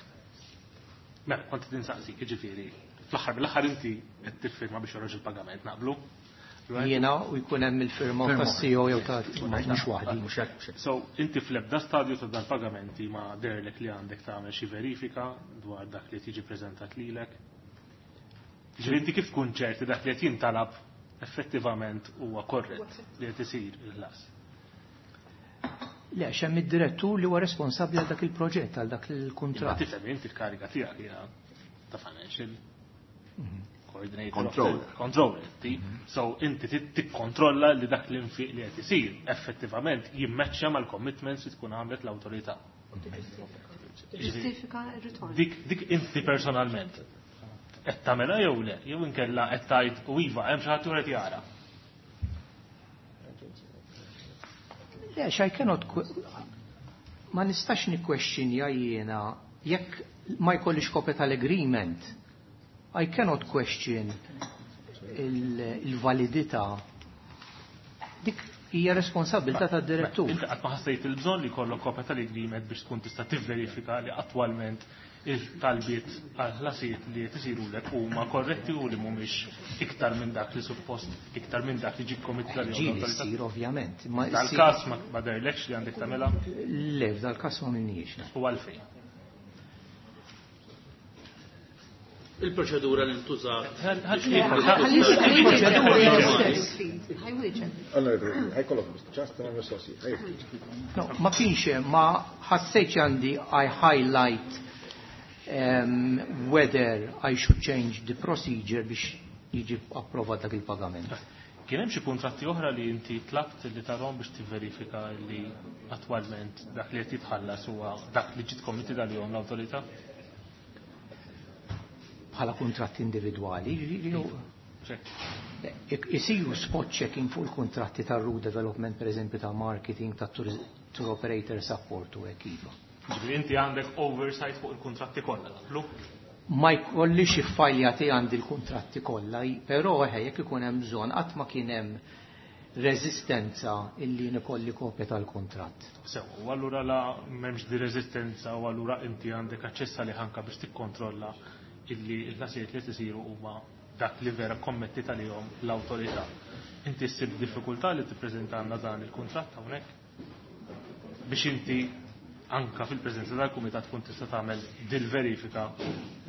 Mela, kont qed insaqsik, jiġifieri, fl-aħħar mill-aħħar inti qed tiffirma biex joħroġ il-pagament, naqblu? Right? Jiena u jkun hemm il-firma Firma. tas-CEO jew ta' mhux waħdi. Mhux hekk, mhux hekk. So, inti fl-ebda stadju ta' dan pagamenti ma derlek li għandek tagħmel xi verifika dwar dak li tiġi preżentat lilek. Ġifieri inti kif tkun ċerti dak li qed jintalab effettivament huwa korrett li qed isir il-ħlas? Le, x'hemm id-direttur li huwa responsabbli għal dak il-proġett, għal dak il-kuntratt. Imma tifhem inti l-kariga tiegħek hija ta' financial coordinator. Controller. Controller, ti. So inti tikkontrolla li dak l-infiq li qed isir effettivament jimmeċċja mal-commitments li tkun għamlet l-awtorità. Ġustifika r-ritorn. Dik inti personalment qed tagħmilha jew le, jew inkella qed tgħid u iva hemm xi ħadd qed jara. Le, x'I cannot ma nistax nikkwestjonja jiena jekk ma jkollix kopja tal-agreement. I cannot question il-validità. Dik hija responsabilità tad-direttur. Inti qatt ma ħassejt il-bżonn li jkollok kopja tal-agreement biex tkun tista' tivverifika li attwalment il-talbiet għal-ħlasijiet li qed isirulek huma korretti u li mhumiex iktar minn dak li suppost, iktar minn dak li ġie committed għalihom Ġieli l-awtorità. ssir, ovvjament, ma Dal-każ ssir ma derlekx li għandek tagħmilha? Le, f'dal-każ ma minniex. U għalfejn? Il-proċedura li ntużat. No, ma kienx hemm, ma ħassejtx għandi I highlight whether I should change the procedure biex jiġi approvat dak il-pagament. Kien hemm xi kuntratti oħra li inti tlabt li tarhom biex tivverifika li attwalment dak li qed jitħallas huwa dak li ġiet committed għalihom l-awtorità? Bħala kuntratti individwali, isiru spot checking fuq il-kontratti ta' route development, per eżempju, ta' marketing, ta' tour operator support u hekk iva. Ġifieri inti għandek oversight fuq il-kontratti kollha, naqblu? Ma jkollix iffajljati għandi l-kuntratti kollha, però eħe jekk ikun hemm bżonn, qatt ma kien hemm reżistenza illi nikolli kopja tal-kuntratt. Sew, u allura la m'hemmx di reżistenza u allura inti għandek aċċess għalih anke biex tikkontrolla illi l-ħlasijiet li qed isiru huma dak li vera kommettit għalihom l-awtorità. Inti ssib diffikultà li tippreżentalna dan il-kuntratt hawnhekk? Biex inti anka fil-preżenza tal-kumitat tkun tista' tagħmel dil-verifika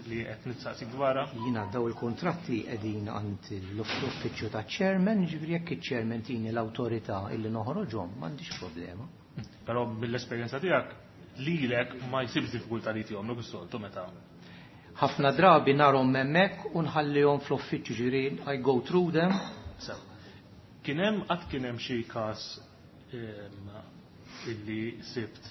li qed nitsaqsik dwarha? Jiena daw il-kuntratti qegħdin għand l-uffiċċju taċ-chairman, jiġifieri jekk iċ-chairman tini l-awtorità illi noħroġhom, m'għandix problema. Però mill-esperjenza tiegħek lilek ma jsibx diffikultà li tihomlok is-soltu meta Ħafna drabi narhom hemmhekk u nħallihom fl-uffiċċju, ġifieri I go through them. Sew. Kien hemm qatt kien hemm xi każ illi sibt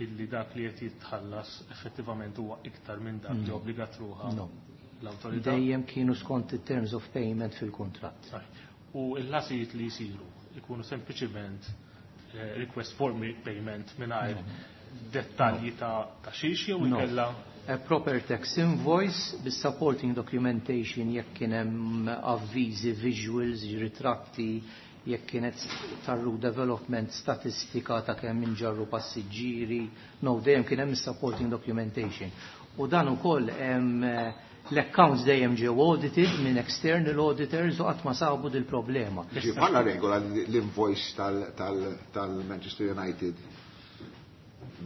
illi dak li qed jitħallas effettivament huwa iktar minn dak li obbligat ruħha l-awtorità? Dejjem kienu skont it-terms of payment fil-kuntratt. U l-ħlasijiet li jsiru jkunu sempliċiment request for payment mingħajr dettalji ta' xiex jew inkella? A proper tax invoice bis-supporting documentation jekk kien hemm avviżi, visuals, ritratti, jekk kienet tarru development statistika ta' kemm inġarru passiġġieri, no, dejjem kien hemm supporting documentation. U dan ukoll hemm l-accounts dejjem ġew audited minn external auditors u qatt ma sabu dil-problema. Ġi bħala regola l-invoice tal-Manchester United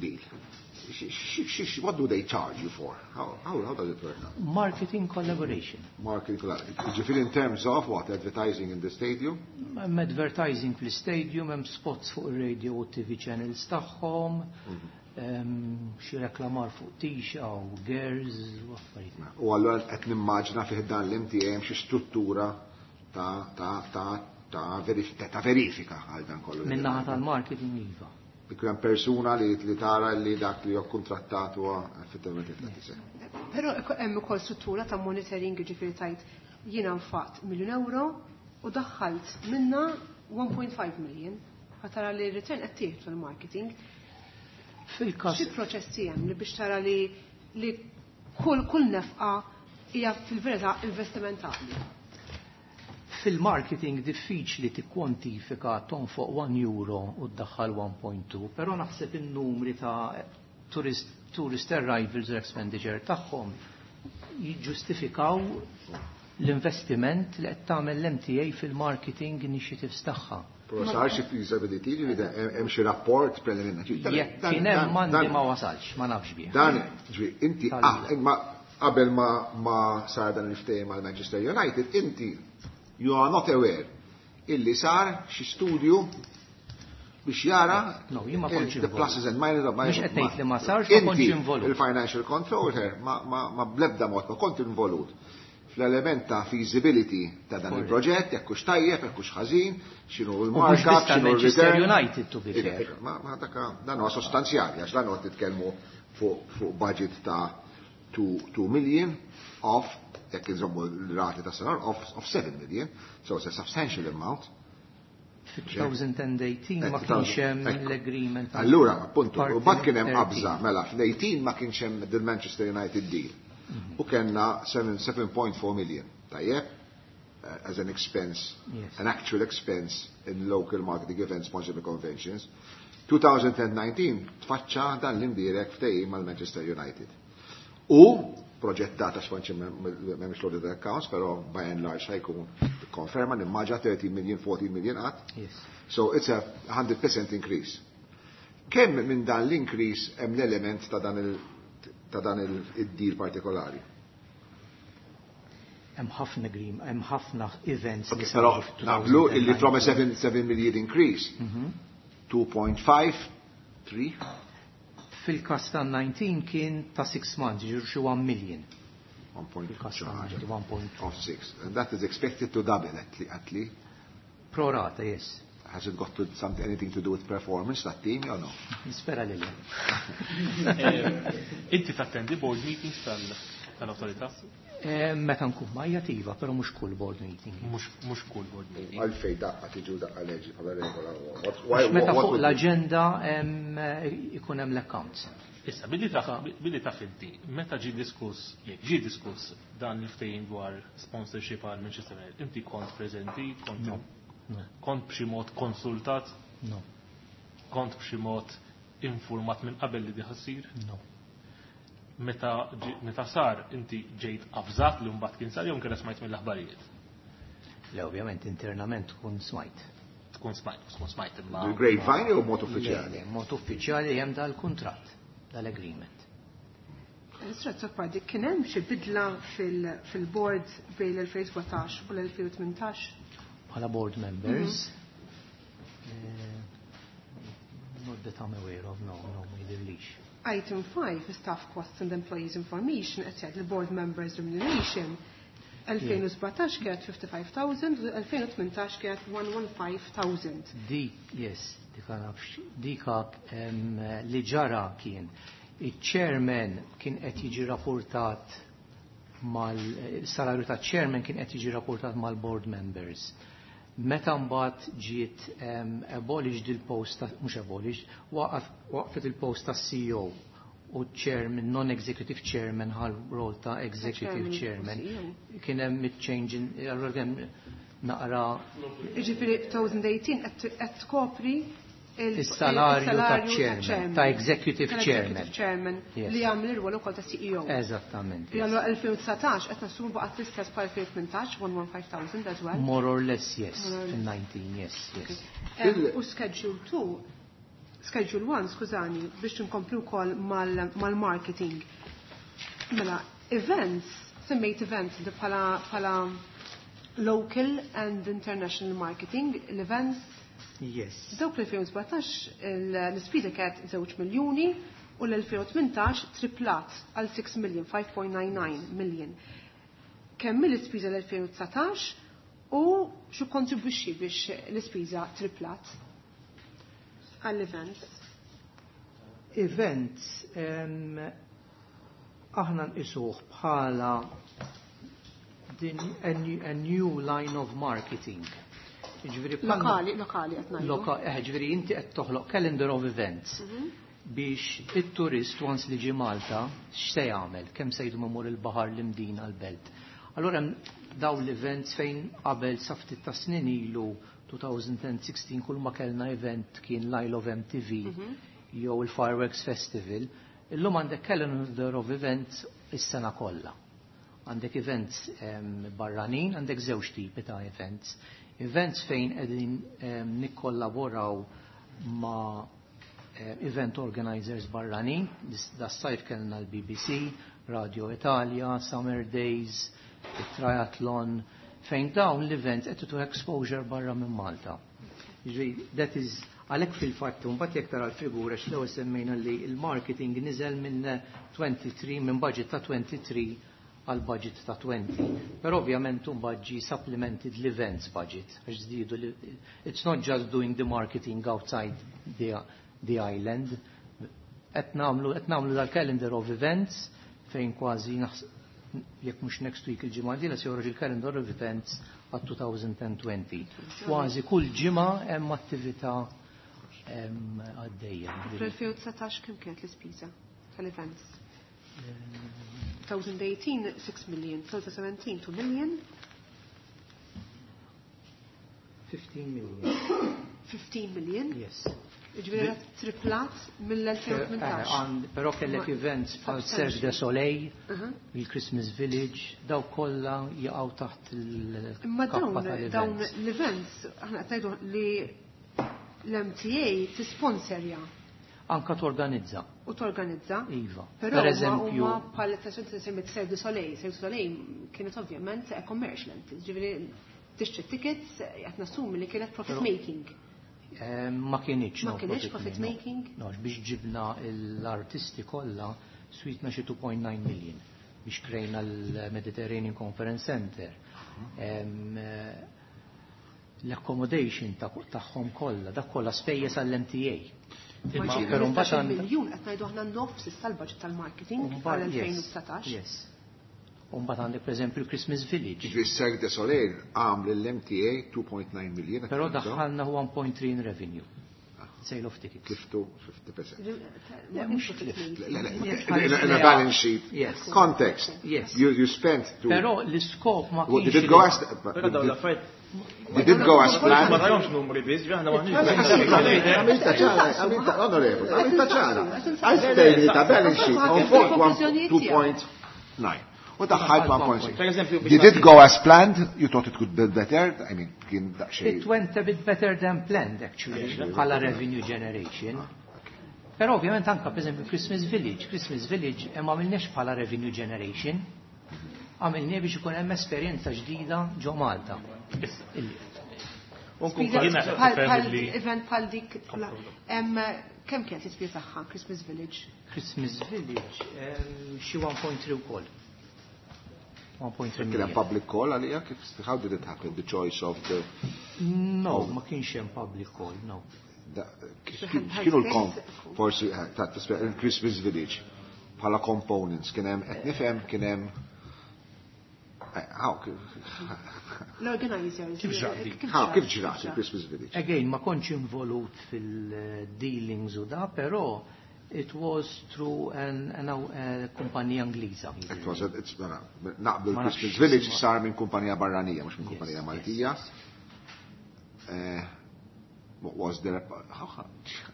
deal. What do they charge you for? How does it work? Marketing collaboration. Marketing collaboration. Ġifieri in terms of what? Advertising in the stadium? Hemm advertising fl-stadium, hemm spots fuq ir-radio u TV channels tagħhom, xi reklamar fuq tisha u girls u affarijiet. U allura qed nimmaġina fih dan l-MTA hemm xi struttura ta' verifika għal dan kollu. Min-naħa tal-marketing iva. Ikun hemm persuna li tara li dak li huwa kontrattat huwa effettivament qed iseħħ. Però hemm ukoll struttura ta' monitoring, ġifieri tajt jiena nfaqt miljun euro u daħħalt minna 1.5 million. Ħa tara li r-return qed tieħdu fil-marketing. Fil-każ Xi proċessi hemm li biex tara li kull nefqa hija fil-verità investimentali? Fil-marketing diffiċli tikkwantifika tonfoq 1 euro u ddaħħal 1.2, però naħseb in-numri ta' tourist arrivals u expenditure tagħhom jiġġustifikaw l-investiment li qed tagħmel l-MTA fil-marketing initiatives tagħha. Però sar xi feasibility, ġifieri hemm xi rapport preliminari. Jekk kien hemm m'għandi ma wasalx, ma nafx bih. Dan, ġifieri, inti, imma qabel ma sar dan il-ftehim mal Manchester United, inti you are not aware illi sar xi studju biex jara No, jien ma kontx the involut. pluses and minuses of Mhux qed ngħid li ma sarx, ma kontx Inti, involut. il-financial controller, ma blebda mod ma kont involut fl-element ta' feasibility ta' dan il-proġett, jekk hux tajjeb, jekk hux ħażin, x'inhu U mhux l-markup, biss x'inhu tal-Manchester l-return. United, to be fair. Ma dak dan huwa sostanzjali, għax dan huwa titkellmu fuq budget ta' 2 million of, jekk inżommu l-rati ta' sena, of 7 million, so it's a substantial amount. Fi 2018 ma kienx hemm l-agreement. Allura, appunto, u bat kien hemm Partner qabża, mela fl-18 ma kienx hemm the Manchester United deal. U kellna 7.4 million, tajjeb, as an expense, an actual expense in local marketing events, sponsored conventions. 2019 tfaċċa dan l-imbierek ftehim mal-Manchester United. U proġettata xfanċi m'hemmx l-audit accounts, però by and large ħajkun konferma nimmaġa 30 million, 14 million qatt. So it's a 100% increase. Kemm minn dan l-increase hemm l-element ta' dan il-deal partikolari? Hemm ħafna grim, hemm ħafna events li Okay, però saru fi naqblu illi from a 2019. 7 million increase, 2.5, 3. Fil-kas ta' 19 kien ta' 6 months, ġiru xi 1 million. One point Fil-kas ta' charge. 19, one point Of 6. And that is expected to double at least. Pro rata, yes. Has it got to something, anything to do with performance, that team, or no? Nispera li le. Inti tattendi board meetings tal-autorità? Meta nkun majjativa, però mhux kull board meeting. Mhux kull board meeting. Għalfej daqqa tiġu daqqa leġi bħala regola. Meta fuq l-agenda ikun hemm l-accounts. Issa, billi taf, billi taf inti, meta ġie diskuss, jekk ġie diskuss dan il-ftehim dwar sponsorship għal Manchester United, inti kont preżenti, kont No. No. kont b'xi mod konsultat, No. kont b'xi mod informat minn qabel li di ħa ssir? No. Meta meta sar inti ġejt avżat li mbagħad kien sar jew inkella smajt mill-aħbarijiet? Le, ovvjament internament tkun smajt. Tkun smajt, tkun smajt imma. Bil-grapevine jew mod uffiċjali? Le, mod uffiċjali hemm dal-kuntratt, dal-agreement. Mr. Azzopardi, kien hemm xi bidla fil-board bejn l-2017 u l-2018? Bħala board members. Not that I'm aware of, no, ma jidhirlix. Item 5, staff costs and employees information, qed jgħid il-board members remuneration 2017 kienet 55,000 u 2018 kienet 115,000. Dik, yes, dika nafx, dika li ġara kien il-chairman kien qed jiġi rapportat mal-salarju ta' chairman kien qed jiġi rapportat mal-board members. Meta mbagħad ġiet abolished il-post ta' mhux abolished, waqfet il-post ta' CEO u chairman, non-executive chairman ħal rol ta' executive Chairman u chairman. CEO. Kien hemm change in, allura kien naqra Jiġifieri 2018 qed tkopri Is-salarju ta' il-salarju chairman, ta' executive Tal-executive chairman. chairman Yes. li jagħmel ir-rwol ukoll ta' CEO. Eżattament. Li Yes. għallu 2019 qed nassumu baqgħet l-istess bħal 2018, 115,000 as well. More or less, yes. More or less. In 19, yes. U schedule 2, schedule 1, skużani, biex nkomplu wkoll mal-marketing. Mela, events, semmejt events li bħala local and international marketing, l-events, Yes. Dawk l-2017 l-ispiża kienet 2 miljuni u l-2018 triplat għal 6 million, 5.99 million. Kemm l-ispiża l-2019 u xu kontribwixxi biex l-ispiża triplat għall-events? Events, aħna nqisuh bħala din a new line of marketing. Jiġifieri bħalma- Lokali, lokali qed ngħidu. Ġifieri inti qed toħloq calendar of events biex it-turist once li ġie Malta x'se jagħmel, kemm se jdum imur il-baħar l-Imdina l-belt. Allura hemm dawn l-events fejn qabel sa ftit ta' snin ilu 2016 kull ma kellna event kien l-Isle of MTV jew il-Fireworks Festival, illum għandek calendar of events is-sena kollha. Għandek events barranin, għandek żewġ tipi ta' events. Events fejn qegħdin nikkollaboraw ma' event organizers barranin, das-sajf kellna l-BBC, Radio Italia, Summer Days, il-Triathlon, fejn dawn l-events qed tu exposure barra minn Malta. Jiġifieri, that is, għalhekk fil-fatt, mbagħad jekk tara l-figura x'l-ewwel semmejna li l-marketing niżel minn 23, minn budget ta' 23 għal budget ta' 20. Però ovvjament mbagħad ġie supplemented l-events budget, għax żdiedu li, it's not just doing the marketing outside the island. Qed nagħmlu dal-calendar of events fejn kważi jekk mhux next week il-ġimgħa dila se joħroġ il-calendar of events għat 2020. Kważi kull ġimgħa hemm attività għaddejja. Fl-2019 kemm kienet l-ispiża tal-events? 2018, 6 million, 2017, 2 million. 15 million. 15 million? Yes. Ġifieri triplat mill-2018. Però kellek events bħal Cirque du Soleil, il-Christmas Village, daw kollha jaqgħu taħt Imma il-kappa dawn tal-events. l-events, aħna qed ngħidu li l-MTA tisponsorja. Anka torganizza. U torganizza. Iva. Però Per eżempju, huma bħal semmit Cirque du Soleil, Cirque du Soleil kienet ovvjament commercial, ġifieri tixtri tickets qed nassumi li kienet profit Però making. Ma kienx, Ma no, kienx profit profit making, making? No, biex ġibna l-artisti kollha switna xi 2.9 million biex krejna l-Mediterranean Conference Center. L-accommodation tagħhom kollha, dak kollha spejjeż għall-MTA. Ma Imma ġifieri però mbagħad 15 għandha miljun qed ngħidu aħna nofs issa l-budget tal-marketing Mbagħad, għal yes, 2019. Yes. U mbagħad għandek pereżempju l-Christmas Village. Ġifieri Cirque du Soleil għamel l-MTA 2.9 million. Però daħħalna 1.3 in revenue. Sale of tickets. Tliftu 50%. Le, mhux tlift. Le, le, in a balance sheet Yes. context. Yes. You spent to... Però l-iskop ma Well, kienx. Did it go as... Però dawn l-affarijiet Did it go as ma planned? tarahomx numri biss, ġi aħna maħniex. Għamilta ċara, għamilta, onorevoli, għamilta ċara. Għal ta' balance sheet on 2.9. U daħħalt 1.6. Per eżempju, biex Did it go as planned? You thought it could be better? I mean, kien daqsxejn. It went a bit better than planned actually, bħala revenue generation. Però ovvjament anka per esempio Christmas Village, Christmas Village ma għamilniex bħala revenue generation, għamilnie biex ikun hemm esperjenza ġdida ġo Malta. Spiża Jiena bħal nifhem bħal li- event bħal dik kemm kienet l-ispiża tagħha Christmas Village? Christmas Village xi 1.3 wkoll. 1.3 Kien hemm million. public call għalija? Kif how did it happen? The choice of the No, ma kienx hemm public call, no. Kienu l-kom forsi ta' tisbe- Christmas Village bħala components kien hemm qed nifhem kien hemm how L-organizers. Kif ġrat dik? how kif ġrat il-Christmas Village? Again, ma kontx involut fil-dealings u da, però it was through an, an, a kumpanija Ingliża. It was a- it's mela, naqblu Ma l-Christmas nafx Village isma. sar minn kumpanija barranija mhux minn Yes, kumpanija yes, Maltija. yes. What was there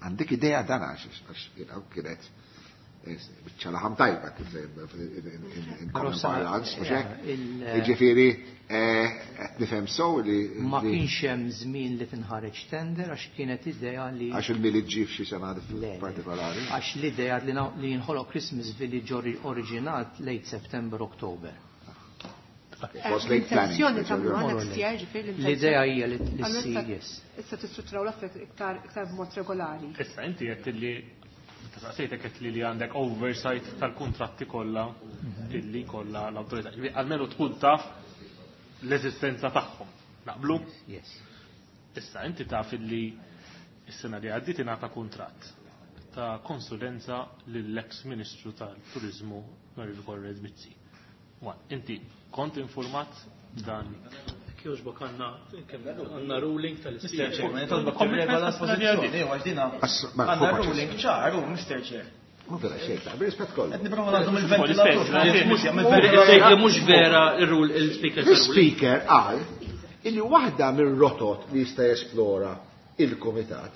għandek idea dan għax għax, you know, kienet biċċa laħam tajba kif in Però common parlance, mhux hekk? yeah, Jiġifieri qed nifhem sew li Ma li- kienx hemm żmien li tinħareġ tender għax kienet idea li għax il-milied ġie f'xi sena Le, le. partikolari. Għax l-idea li li jinħoloq Christmas Village oriġinat late September, October. It was late planning. L-intenzjoni tagħmluha More or next less. year, ġifieri L-idea hija li Allura ssir, issa- yes. Issa tistrutturaw l-affarijiet iktar iktar b'mod regolari. Issa inti qed li saqsejtek qed li għandek oversight tal-kuntratti kollha illi kollha l-awtorità. Ġifieri Almenu tkun taf l-eżistenza tagħhom. Naqblu? Yes. Issa inti taf illi is-sena li għaddiet ingħata kuntratt ta' konsulenza lill-ex Ministru tal-Turiżmu Onorevoli Konrad Mizzi. One, inti kont informat dan Kjoġbok għandna kemm għandna ruling Mr. tal-Speaker. Chairman, nitolbok tirregola l-pożizzjoni, għax dina Mela, għandna fuq ruling ċar, u Mr. Chair. Ma vera xejn, ta' bir-rispett kollu. Qed nipprova nagħtu mill-ventilatur. L-istess, Mhux Sejt li mhux vera ir-rule il-Speaker tal-ruling. L-speaker qal illi waħda mir-rotot li jista' jesplora il-komitat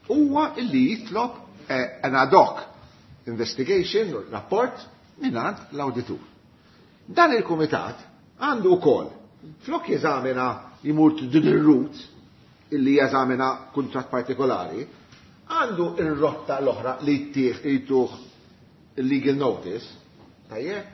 huwa illi jitlob an ad hoc investigation rapport mingħand l-awditur. Dan il-komitat għandu wkoll flok jeżamina jmur din ir-route illi jeżamina kuntratt partikolari, għandu ir-rotta l-oħra li jtieħ jtuh il-legal notice, tajjeb,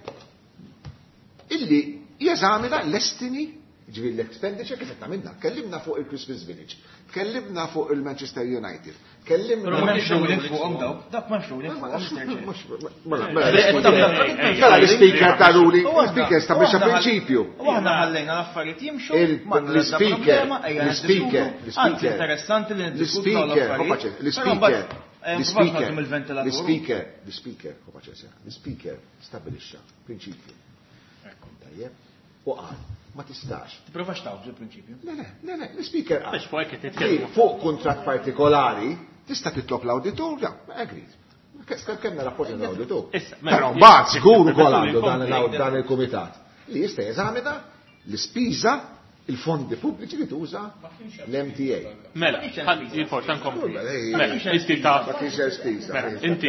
illi jeżamina l-estimi, ġifieri l-expenditure kif qed għamilna. Kellimna fuq il-Christmas Village, kellimna fuq il-Manchester United, kellimna Però m'hemmx ruling fuqhom dawk, dak m'hemmx ruling fuqhom, Mr. Chair. Mela, mela l-speaker ta' ruling, l-speaker stabbilixxa prinċipju. U aħna ħallejna l-affarijiet jimxu, m'għandna l-ebda L-speaker, problema, ejja l-speaker, niddiskutu. Anzi, l-speaker, interessanti li niddiskutu dawn l-speaker, l-affarijiet. l-speaker, Però mbagħad, eh, mbagħad nagħtu mill-ventilatur. l-speaker, l-speaker, l-speaker stabilixxa prinċipju. Tajjeb, u qal, ma tistax. Tipprovax tawġ il-prinċipju. Le, le, le, le, l-speaker qal. Biex fuq hekk qed Li nitkellmu. fuq kuntratt partikolari tista' titlob l-awditur, ja, agreed. Kemna rapporti l-awditur. Issa, mela, Però mbagħad żgur ukoll permettu li għandu dan nkompli. dan il-kumitat li jista' jeżamina l-ispiża il-fondi pubbliċi li tuża l-MTA. Mela, jien forsi nkompli. Mela, inti taf. Ma kienx hemm spiża. Mela, inti.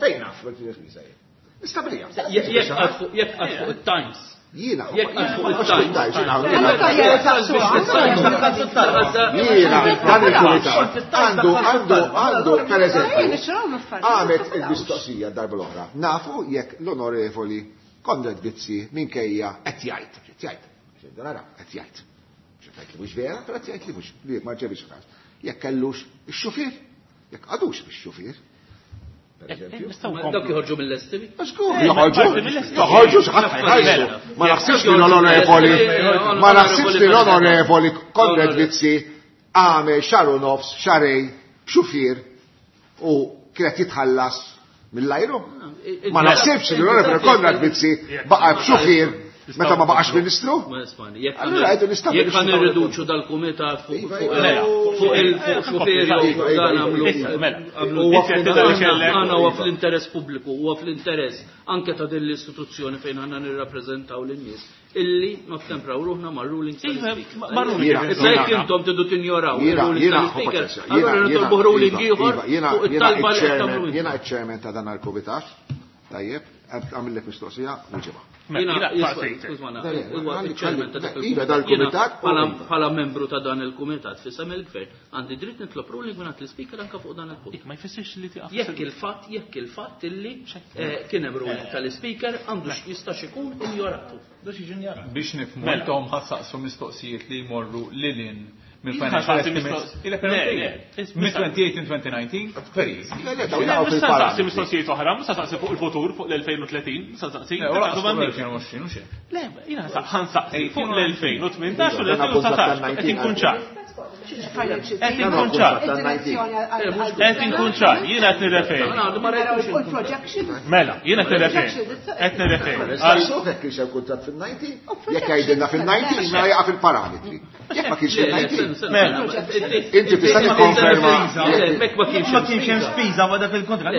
Fejn naf ma kienx hemm spiża jien. Nistabiliha. Jekk qgħad fuq jekk qgħad fuq it-Times. Jiena. Jekk qgħad fuq it-Times. Jiena, dan il-kumitat għandu għandu għandu per eżempju għamet il-mistoqsija darba l-oħra. Nafu jekk l-onorevoli Konrad Mizzi minkejja qed jgħid, qed jgħid, nara, qed jgħid. Xi li mhux vera, però qed jgħid li mhux li ma ġebix każ. Jekk kellux ix-xufier, jekk għadux bix-xufier. Per eżempju. Dawk joħorġu mill-estimi. Żgur, joħorġu, joħorġu x'ħadd ħajsu. Ma naħsibx li l-onorevoli, ma naħsibx li l-onorevoli Konrad Mizzi għamel xahar u nofs, xahrejn, b'xufier u kienet jitħallas mill-ajru. Ma naħsibx li l-onorevoli Konrad Mizzi baqa' b'xufier Meta ma baqax ministru? Allura għidu nistabilixxu. Jekk ħa nirriduċu dal-kumitat fuq iva, iva. fuq il-xufieri u dan għamlu. Mela, għana huwa fl-interess pubbliku, huwa fl-interess anke ta' din l-istituzzjoni fejn għandna nirrappreżentaw lin-nies illi nottempraw ruħna ma' ruling tal-speaker. Issa jekk intom tidu tinjoraw il-ruling tal-speaker, allura nitolbu ruling ieħor fuq it-talba li qed tagħmlu. Jiena ċ-chairman ta' dan il-kumitat, tajjeb, għamillek mistoqsija, wieġibha. Iva dal-kumitat. Bħala membru ta' dan il-kumitat fisem il-gvern, għandi dritt nitlob ruling minn l-speaker anka fuq dan il-punt. Ma jfissirx li tiqaf. Jekk il-fatt, jekk il-fatt illi eh, kien hemm ruling tal-speaker għandu jistax ikun injoratu. Biex nifhmu mela. intom ħassaqsu mistoqsijiet li jmorru lilin mill-financial estimates. Mid-2018 2019, very easy. Le, le, dawn jaqgħu Mhux se nsaqsi mistoqsijiet oħra, mhux se nsaqsi fuq il-futur, fuq l-2030, mhux se nsaqsi. Le, 2020 u xejn. Le, jiena ħansaqsi fuq l-2018 u l-2019, qed inkun ċar. Qed inkun ċar. Qed inkun ċar, jiena qed nirreferi. Mela, jiena qed nirreferi. Qed nirreferi. Saqsuh jekk kienx hemm kuntratt fil-90, jekk jgħidilna fil-90, mela jaqa' fil-parametri. Jekk ma kienx fil-90. Mela. Inti tista' tikkonferma. Ma kienx hemm spiża ma dak il-kuntratt.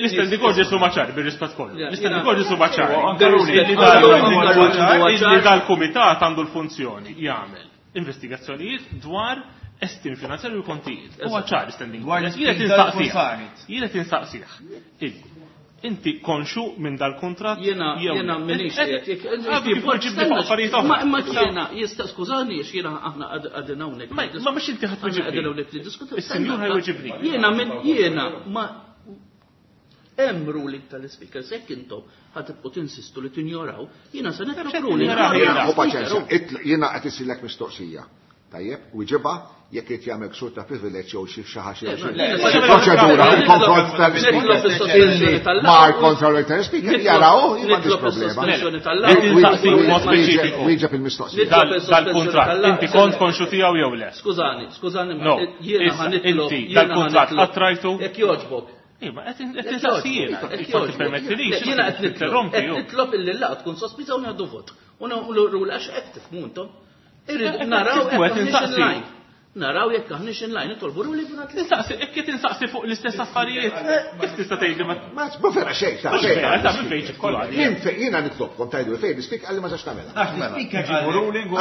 Il-standing orders huma ċari bir-rispett kollu. L-standing orders huma ċari. Li dal-kumitat għandu l-funzjoni jagħmel investigazzjonijiet dwar estimi finanzjarji u kontijiet. Huwa ċar standing orders. Jien qed insaqsih. Jien qed insaqsih. Inti konxu minn dal-kuntratt? Jiena jiena minix qiegħed. Ma imma jiena jista' skużani għax jiena aħna qegħdin hawnhekk. Ma mhux inti ħadd weġibni. Qegħdin hawnhekk niddiskutu. Is-sinjur ħajweġibni. Jiena minn jiena ma hemm ruling tal-ispeaker jekk intom ħa tibqgħu tinsistu li tinjoraw, jiena se nitlob ruling. U paċenzja, jiena qed isirlek mistoqsija. Tajjeb, wieġibha jekk irid jagħmel ksur ta' privileġġ jew xi xi ħaġa xi proċedura fil-konfront tal-ispeaker illi mar kontra l-speaker jaraw m'għandix problema. Wieġeb il-mistoqsija. Dal-kuntratt, inti kont konxu tiegħu jew le? Skużani, skużani, jiena ħa nitlob. Inti dal-kuntratt qatt rajtu? Jekk jogħġbok. Iva, qed insaqsi jiena. Jekk tippermettilix. Jiena qed nitlob. Qed nitlob illi l-laqgħa tkun sospiża u nieħdu vot. U nagħmlu għax hekk tifhmu intom. Irrid naraw jekk aħniex in line. Naraw jekk aħniex in line, nitolbu ruling minn għand Nistaqsi, jekk qed insaqsi fuq l-istess affarijiet, kif tista' tgħidli ma. Ma ma vera xejn, ta' xejn. Ta' minn fejn ġib kollu. Minn fejn jiena nitlobkom tgħidu fejn l-ispeaker qalli ma sax tagħmilha. Għax l-ispeaker ġibu ruling u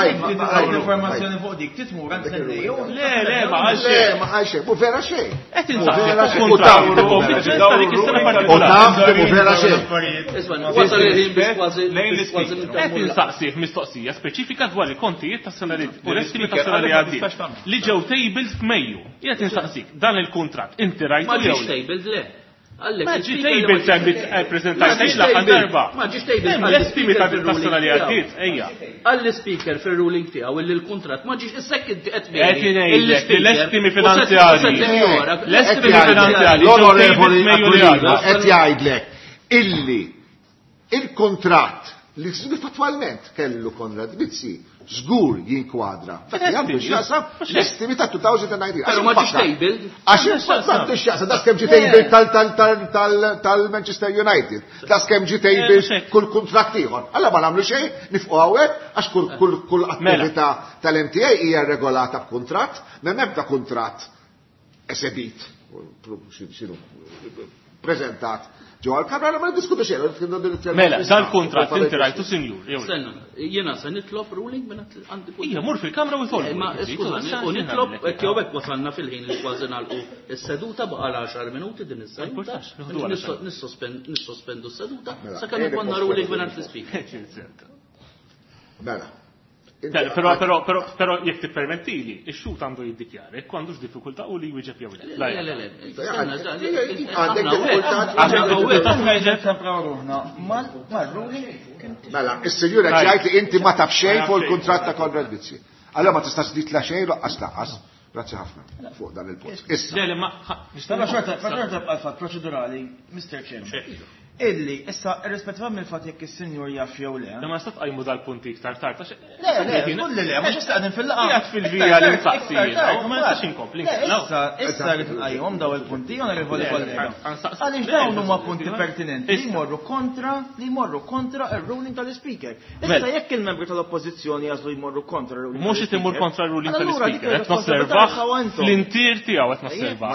informazzjoni fuq dik titmur għand sendej. Le, le, ma qal xejn. Le, ma qal xejn, mhu vera xejn. Qed insaqsi fuq kuntratt ta' konfidenza ta' dik is-sena partikolari. U taf li mhu vera xejn. Isma' wasal il-ħin biex kważi Qed insaqsih mistoqsija speċifika dwar il-kontijiet tas-sena li u l-estimi tas-sena li għaddiet li ġew tabled f'Mejju. Jien qed insaqsik, dan il-kuntratt inti rajtu Ma ġiex tabled le. Ma ġie tabled se ppreżentajt l-aħħar darba. Ma ġiex tabled. L-estimi tas-sena li għaddiet, ejja. Għall-ispeaker fir-ruling tiegħu illi l-kuntratt ma ġiex issa inti qed Qed ngħidlek li l-estimi finanzjarji. L-estimi finanzjarji. L-onorevoli Aquilina qed jgħidlek illi il-kuntratt li fattwalment kellu Konrad Mizzi żgur jinkwadra. Dak li għandu x'jaqsam l-estimi ta' 2019. Però ma ġiex tabled. Għax m'għandux x'jaqsam daqs kemm ġie tabled tal-Manchester United, daqs kemm ġie tabled kull kuntratt ieħor. Alla ma nagħmlu xejn, nifqu hawnhekk għax kull attività tal-MTA hija regolata b'kuntratt, m'hemm ebda kuntratt esebit, xinu, prezentat ġewwa l-kamra ma niddiskutu xejn. Mela, dal-kuntratt inti rajtu sinjur. Stenna, jiena se nitlob ruling minn għandi Ija, mur fil-kamra u tolbu. Ma skużani, u nitlob hekk jew hekk wasalna fil-ħin li kważi nagħlqu s-seduta baqa' l-10 minuti din is-seduta. Nissospendu s-seduta mela, sakemm ikollna ruling minn għand l-ispeaker. Mela. Però, però, però, però, jekk tippermettili, ix-xhud għandu jiddikjara jekk għandux diffikultà u li jwieġeb jew le. Le, le, le. Għandek diffikultà. Għandek diffikultà twieġeb. Tempraw ruħna mal-ruling. Mela, is-sinjura ġajt li inti ma taf xejn fuq il-kuntratt ta' Konrad Mizzi. Allora ma tistax tgħid la xejn laqqas laqqas. Grazzi ħafna fuq dan il-punt. Issa. Le, le, ma. Però xorta, xorta bqa' l-fatt proċedurali, Mr. Chairman. Illi, issa, irrispettivament mill-fatt jekk is-sinjur jaf jew le. Imma nista' tqajmu dal-punti iktar tard għax. Le, le, żgur li le, mhux issa qegħdin fil-laqgħa. Qiegħed fil-vija li nsaqsi jiena, u ma nistax inkompli nkella. Issa, issa rrid nqajjimhom daw il-punti, onorevoli kollega. Għaliex dawn huma punti pertinenti li jmorru kontra li jmorru kontra r-ruling tal-Ispeaker. Issa jekk il-membri tal-Oppożizzjoni jagħżlu jmorru kontra r-ruling. Mhux qed imur kontra r-ruling tal-Ispeaker, qed nosservah fl-intier tiegħu qed nosservah.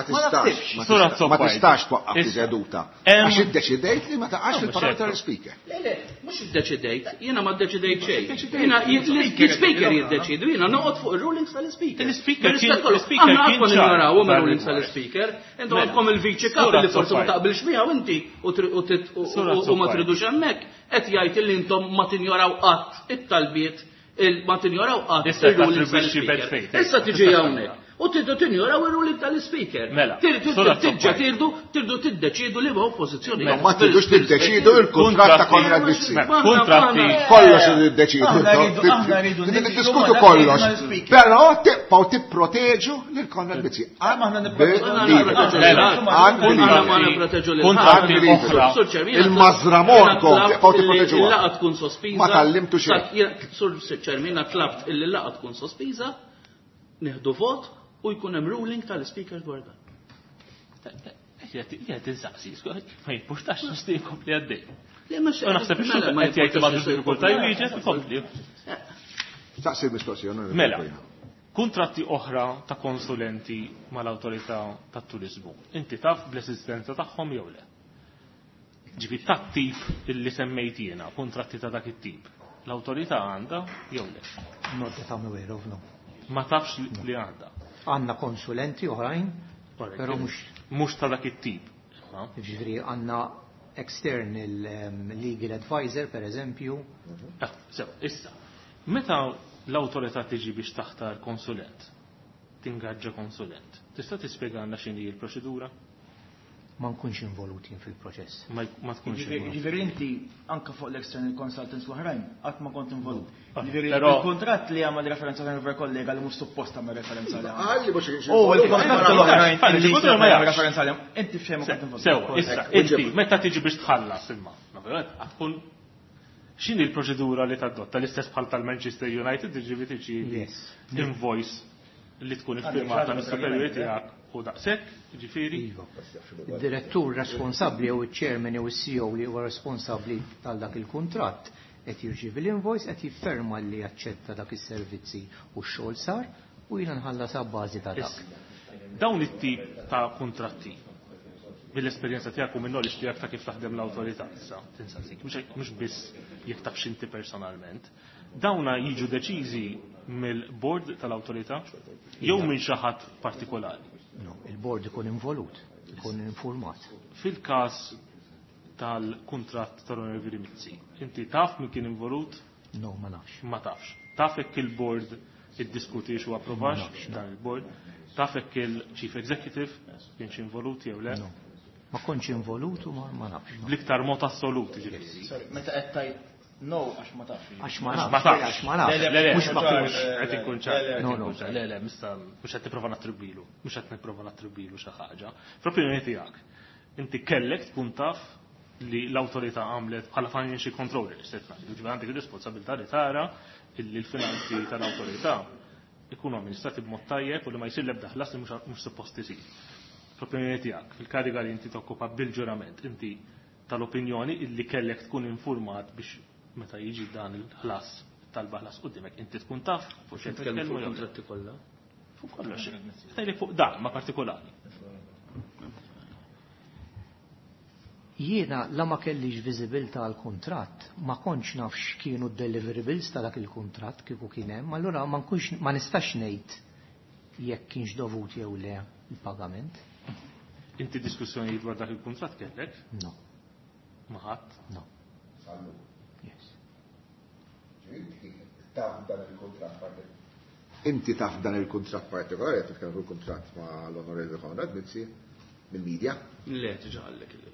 Ma tistax twaqqaf seduta. Għax iddeċidejt li ma taqax fil-paroli tal-Ispeaker. Le, le, mhux iddeċidejt, jiena ma ddeċidejt xejn. Jiena l-Ispeaker jiddeċidu, jiena noqgħod fuq ir-rulings tal-Ispeaker. Il-Ispeaker kien l-Ispeaker kien ċar. rulings tal-Ispeaker, intom għandkom il-Viċi Kap li forsi ma taqbilx miegħu inti u ma tridux hemmhekk, qed jgħid li intom ma tinjoraw qatt it-talbiet ma tinjoraw qatt ir-rulings tal-Ispeaker. Issa tiġi hawnhekk. U tridu tinjoraw ir-ruling tal-Ispeaker. Mela, Tiġġa tirdu, tirdu tiddeċidu li ma oppożizzjoni. Ma ma tridux tiddeċidu il-kuntratt ta' Konrad Mizzi. Kuntratti. Kollox tiddeċidu. Tridu tiddiskutu kollox. Però tibqgħu tipproteġu lil Konrad Mizzi. Kuntratti oħra. Il-mażramorkom tibqgħu tipproteġuha. Il-laqgħa tkun sospiża. Ma tallimtu xejn. Sur Chairman, jiena tlabt illi l-laqgħa tkun sospiża, nieħdu vot u jkun hemm ruling tal-Ispeaker dwar dan. Qiegħed insaqsi, ma jimpurtax nixtieq inkompli għaddej. Le mhux Naħseb ix-xogħol qed jgħid ma diffikultà jwieġeb ikompli. Saqsi l-mistoqsija. Mela, kuntratti oħra ta' konsulenti mal-awtorità tat-turiżmu, inti taf bl-esistenza tagħhom jew le? Ġifieri tat-tip illi semmejt jiena, kuntratti ta' dak it-tip, l-awtorità għandha jew le? Not that I'm aware of, no. Ma tafx li għandha. Għandna konsulenti oħrajn, però mhux. Mhux ta' dak it-tip. Ġifieri għandna external legal advisor, per eżempju. Ah, sew, issa, meta l-awtorità tiġi biex taħtar konsulent, tingaġġa konsulent, tista' tispjegalna x'inhi l-proċedura? Ma nkunx involut jien fil-proċess. Ma tkunx involut. Ġifieri inti anke fuq l-external consultants l-oħrajn qatt ma kont involut. Ġifieri il-kuntratt li għamel referenza tal kollega li mhux suppost tagħmel referenza għalih. Qal li mhux kienx U l-kuntratt l-oħrajn li għamel referenza għalihom, inti f'xejn ma kont involut. Sew, issa, inti meta tiġi biex tħallas imma, ovvjament, tkun x'inhi l-proċedura li tadotta l-istess bħal tal-Manchester United, ġifieri tiġi invoice li tkun iffirmata mis-superjuri tiegħek u daqshekk, jiġifieri. Iva. Id-direttur responsabbli jew iċ-chairman jew is-CEO li huwa responsabbli tal dak il-kuntratt qed jirċievi l-invoice, qed jifferma li jaċċetta dak is-servizzi u x-xogħol sar u jiena nħallas abbażi ta' dak. Dawn it-tip ta' kuntratti mill-esperjenza tiegħek u min-knowledge tiegħek ta' kif taħdem l-awtorità issa, tinsaqsik, mhux biss jekk tafx inti personalment, dawna jiġu deċiżi mill-board tal-awtorità jew minn xi ħadd partikolari? No, il-board ikun involut, ikun informat. Fil-każ tal-kuntratt tal-Onorevoli Mizzi, inti taf min kien involut? No, ma nafx. Ma tafx. Taf jekk il-board iddiskutiex u approvax dan il-board? Taf jekk il-Chief Executive kienx involut jew le? No. Ma kontx involut u ma nafx. Bl-iktar mod assolut, jiġifieri. Sorry, meta qed tgħid no għax ma tafx. Għax ma nafx, għax ma nafx. Le, le, Mhux ma kienx. Qed inkun ċar. No, no. Le, le, mista mhux qed nipprova nattribwilu, mhux qed nipprova nattribwilu xi ħaġa. Fl-opinjoni tiegħek, inti kellek tkun taf li l-awtorità għamlet bħala financial controller, se tgħid, ġifieri għandek ir-responsabilità li tara li l-finanzi tal-awtorità ikunu amministrati b'mod tajjeb u li ma jsir l-ebda ħlas li mhux suppost isir. Fl-opinjoni tiegħek, fil-kariga li inti tokkupa bil-ġurament, inti tal-opinjoni illi kellek tkun informat biex meta jiġi dan il-ħlas, talba ħlas quddiemek, inti tkun taf fuq xejn Nitkellmu titkellmu fuq jew le. kontratti kollha. Fuq kollox. Tgħidlek fuq dan ma partikolari. Jiena la ma kellix viżibilità għal kuntratt, ma kontx naf x'kienu d-deliverables ta' dak il-kuntratt kieku kien hemm, allura ma nkunx ma nistax ngħid jekk kienx dovut jew le il-pagament. Inti diskussjonijiet dwar dak il-kuntratt kellek? No. Ma ħadd? No. Yes. Taf dan il-kuntratt partikolari. Inti taf dan il-kuntratt partikolari, qed titkellem fuq il-kuntratt ma' l-Onorevoli Konrad Mizzi mill-media? Le, diġà qallek il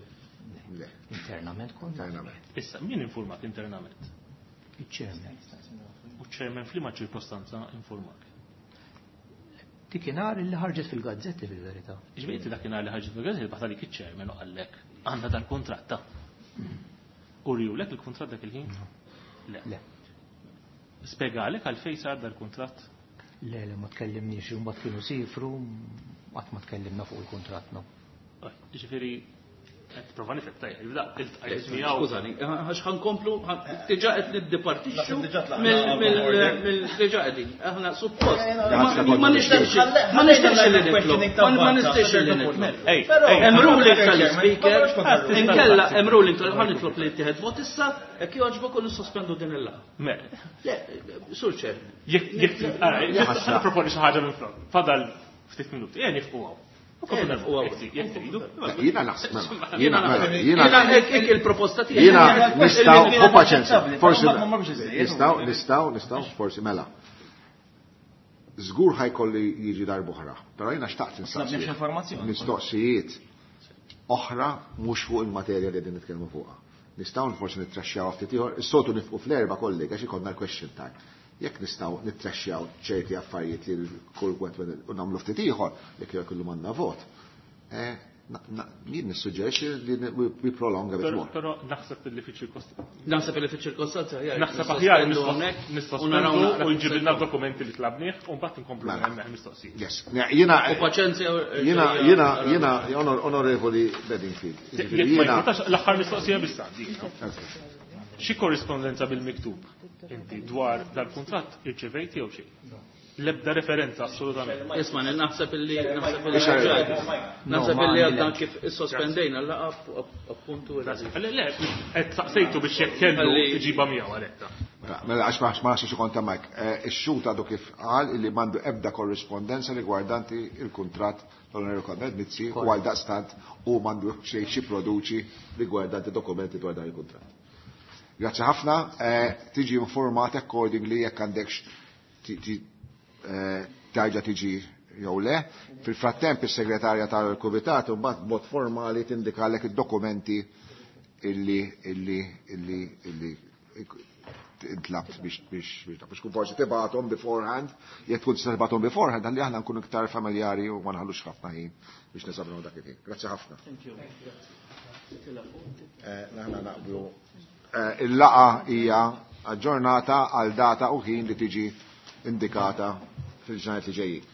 Le. Internament kont. Internament. Issa, min informak internament? Il-chairman. U ċ-chairman f'liema ċirkostanza informak? Dikinhar illi ħarġet fil-gazzetti fil-verità. Ġifieri inti dakinhar li ħarġet fil-gazzetti bagħat għalik iċ-chairman u qallek għandna dal-kuntratt ta'. Uriewlek il-kuntratt dak il-ħin? Le. Le. Spjegalek għalfejn sar dal-kuntratt? Le, le, ma tkellimniex, imbagħad kienu siefru, qatt ma tkellimna fuq il-kuntratt, no. Ġifieri qed prova nifhem tajjeb, iltqajt miegħu. Skużani, għax ħankomplu, diġà qed niddipartixxu mill diġà qegħdin. Aħna suppost. Ma nixtieqx ma nixtieqx li nitlob. Ma nixtieqx li nitlob. Hemm ruling tal-speaker, inkella hemm ruling tal ħa nitlob li jittieħed vot issa, jekk jogħġbok u nissospendu din il-laqgħa. Le, Sur Chairman. Jekk jekk proponi xi ħaġa minn flok. Fadal ftit minuti, ejja nifqu hawn. Jiena naħseb, jiena jiena hekk il-proposta tiegħi. Jiena nistgħu u paċenzja, forsi nistgħu nistgħu nistgħu forsi mela. Żgur ħa jkolli jiġi darb'oħra, però jiena xtaqt insaqsi. Mistoqsijiet oħra mhux fuq il-materja li qegħdin nitkellmu fuqha. Nistgħu forsi nittraxxjaw ftit ieħor, is-soltu nifqu fl-4 kollega għax ikollna l-question time. Jekk nistgħu nittraxxjaw ċerti affarijiet li kull wieħed u nagħmlu ftit ieħor, jekk jekk m'għandna vot. Jien nissuġġerixxi li we prolong a bit more. Però naħseb li fiċ-ċirkostanza. Naħseb li fiċ-ċirkostanza aħjar. Naħseb aħjar nissospendu u jġibilna dokumenti li tlabnieh u mbagħad inkomplu Mela. hemmhekk mistoqsijiet. Yes. Jiena U paċenzja jiena jiena jiena Onorevoli Bedingfield. Jekk ma jimpurtax l-aħħar mistoqsija biss għandi. Xi korrispondenza bil-miktub inti dwar dal-kuntratt irċevejti jew xejn? L-ebda referenza assolutament. Isma' naħseb illi naħseb illi naħseb illi għadna kif issospendejna l-laqgħa appuntu. Le, le, qed saqsejtu biex jekk kellu iġiba miegħu għalhekk. Mela għax ma nafx xi kont hemmhekk. Ix-xhud għadu kif qal illi m'għandu ebda korrispondenza rigwardanti il-kuntratt tal-Onorevoli Konrad Mizzi u għal daqstant u m'għandu xejn xi produċi rigwardanti dokumenti dwar dan il-kuntratt. Grazzi ħafna, tiġi informat accordingly jekk għandekx tarġa tiġi jew le. Fil-frattemp is-segretarja tal-Kumitat imbagħad b'mod formali tindikalek id-dokumenti illi illi illi illi intlabt biex biex biex biex kun forsi tibgħathom beforehand, jekk tkun tista' tibgħathom beforehand ħalli aħna nkunu iktar familjari u ma nħallux ħafna ħin biex neżaminaw dak il-ħin. Grazzi ħafna. Aħna naqblu. Il-laqgħa hija aġġornata għal data u ħin li tiġi indikata fil-ġranet li ġejjin.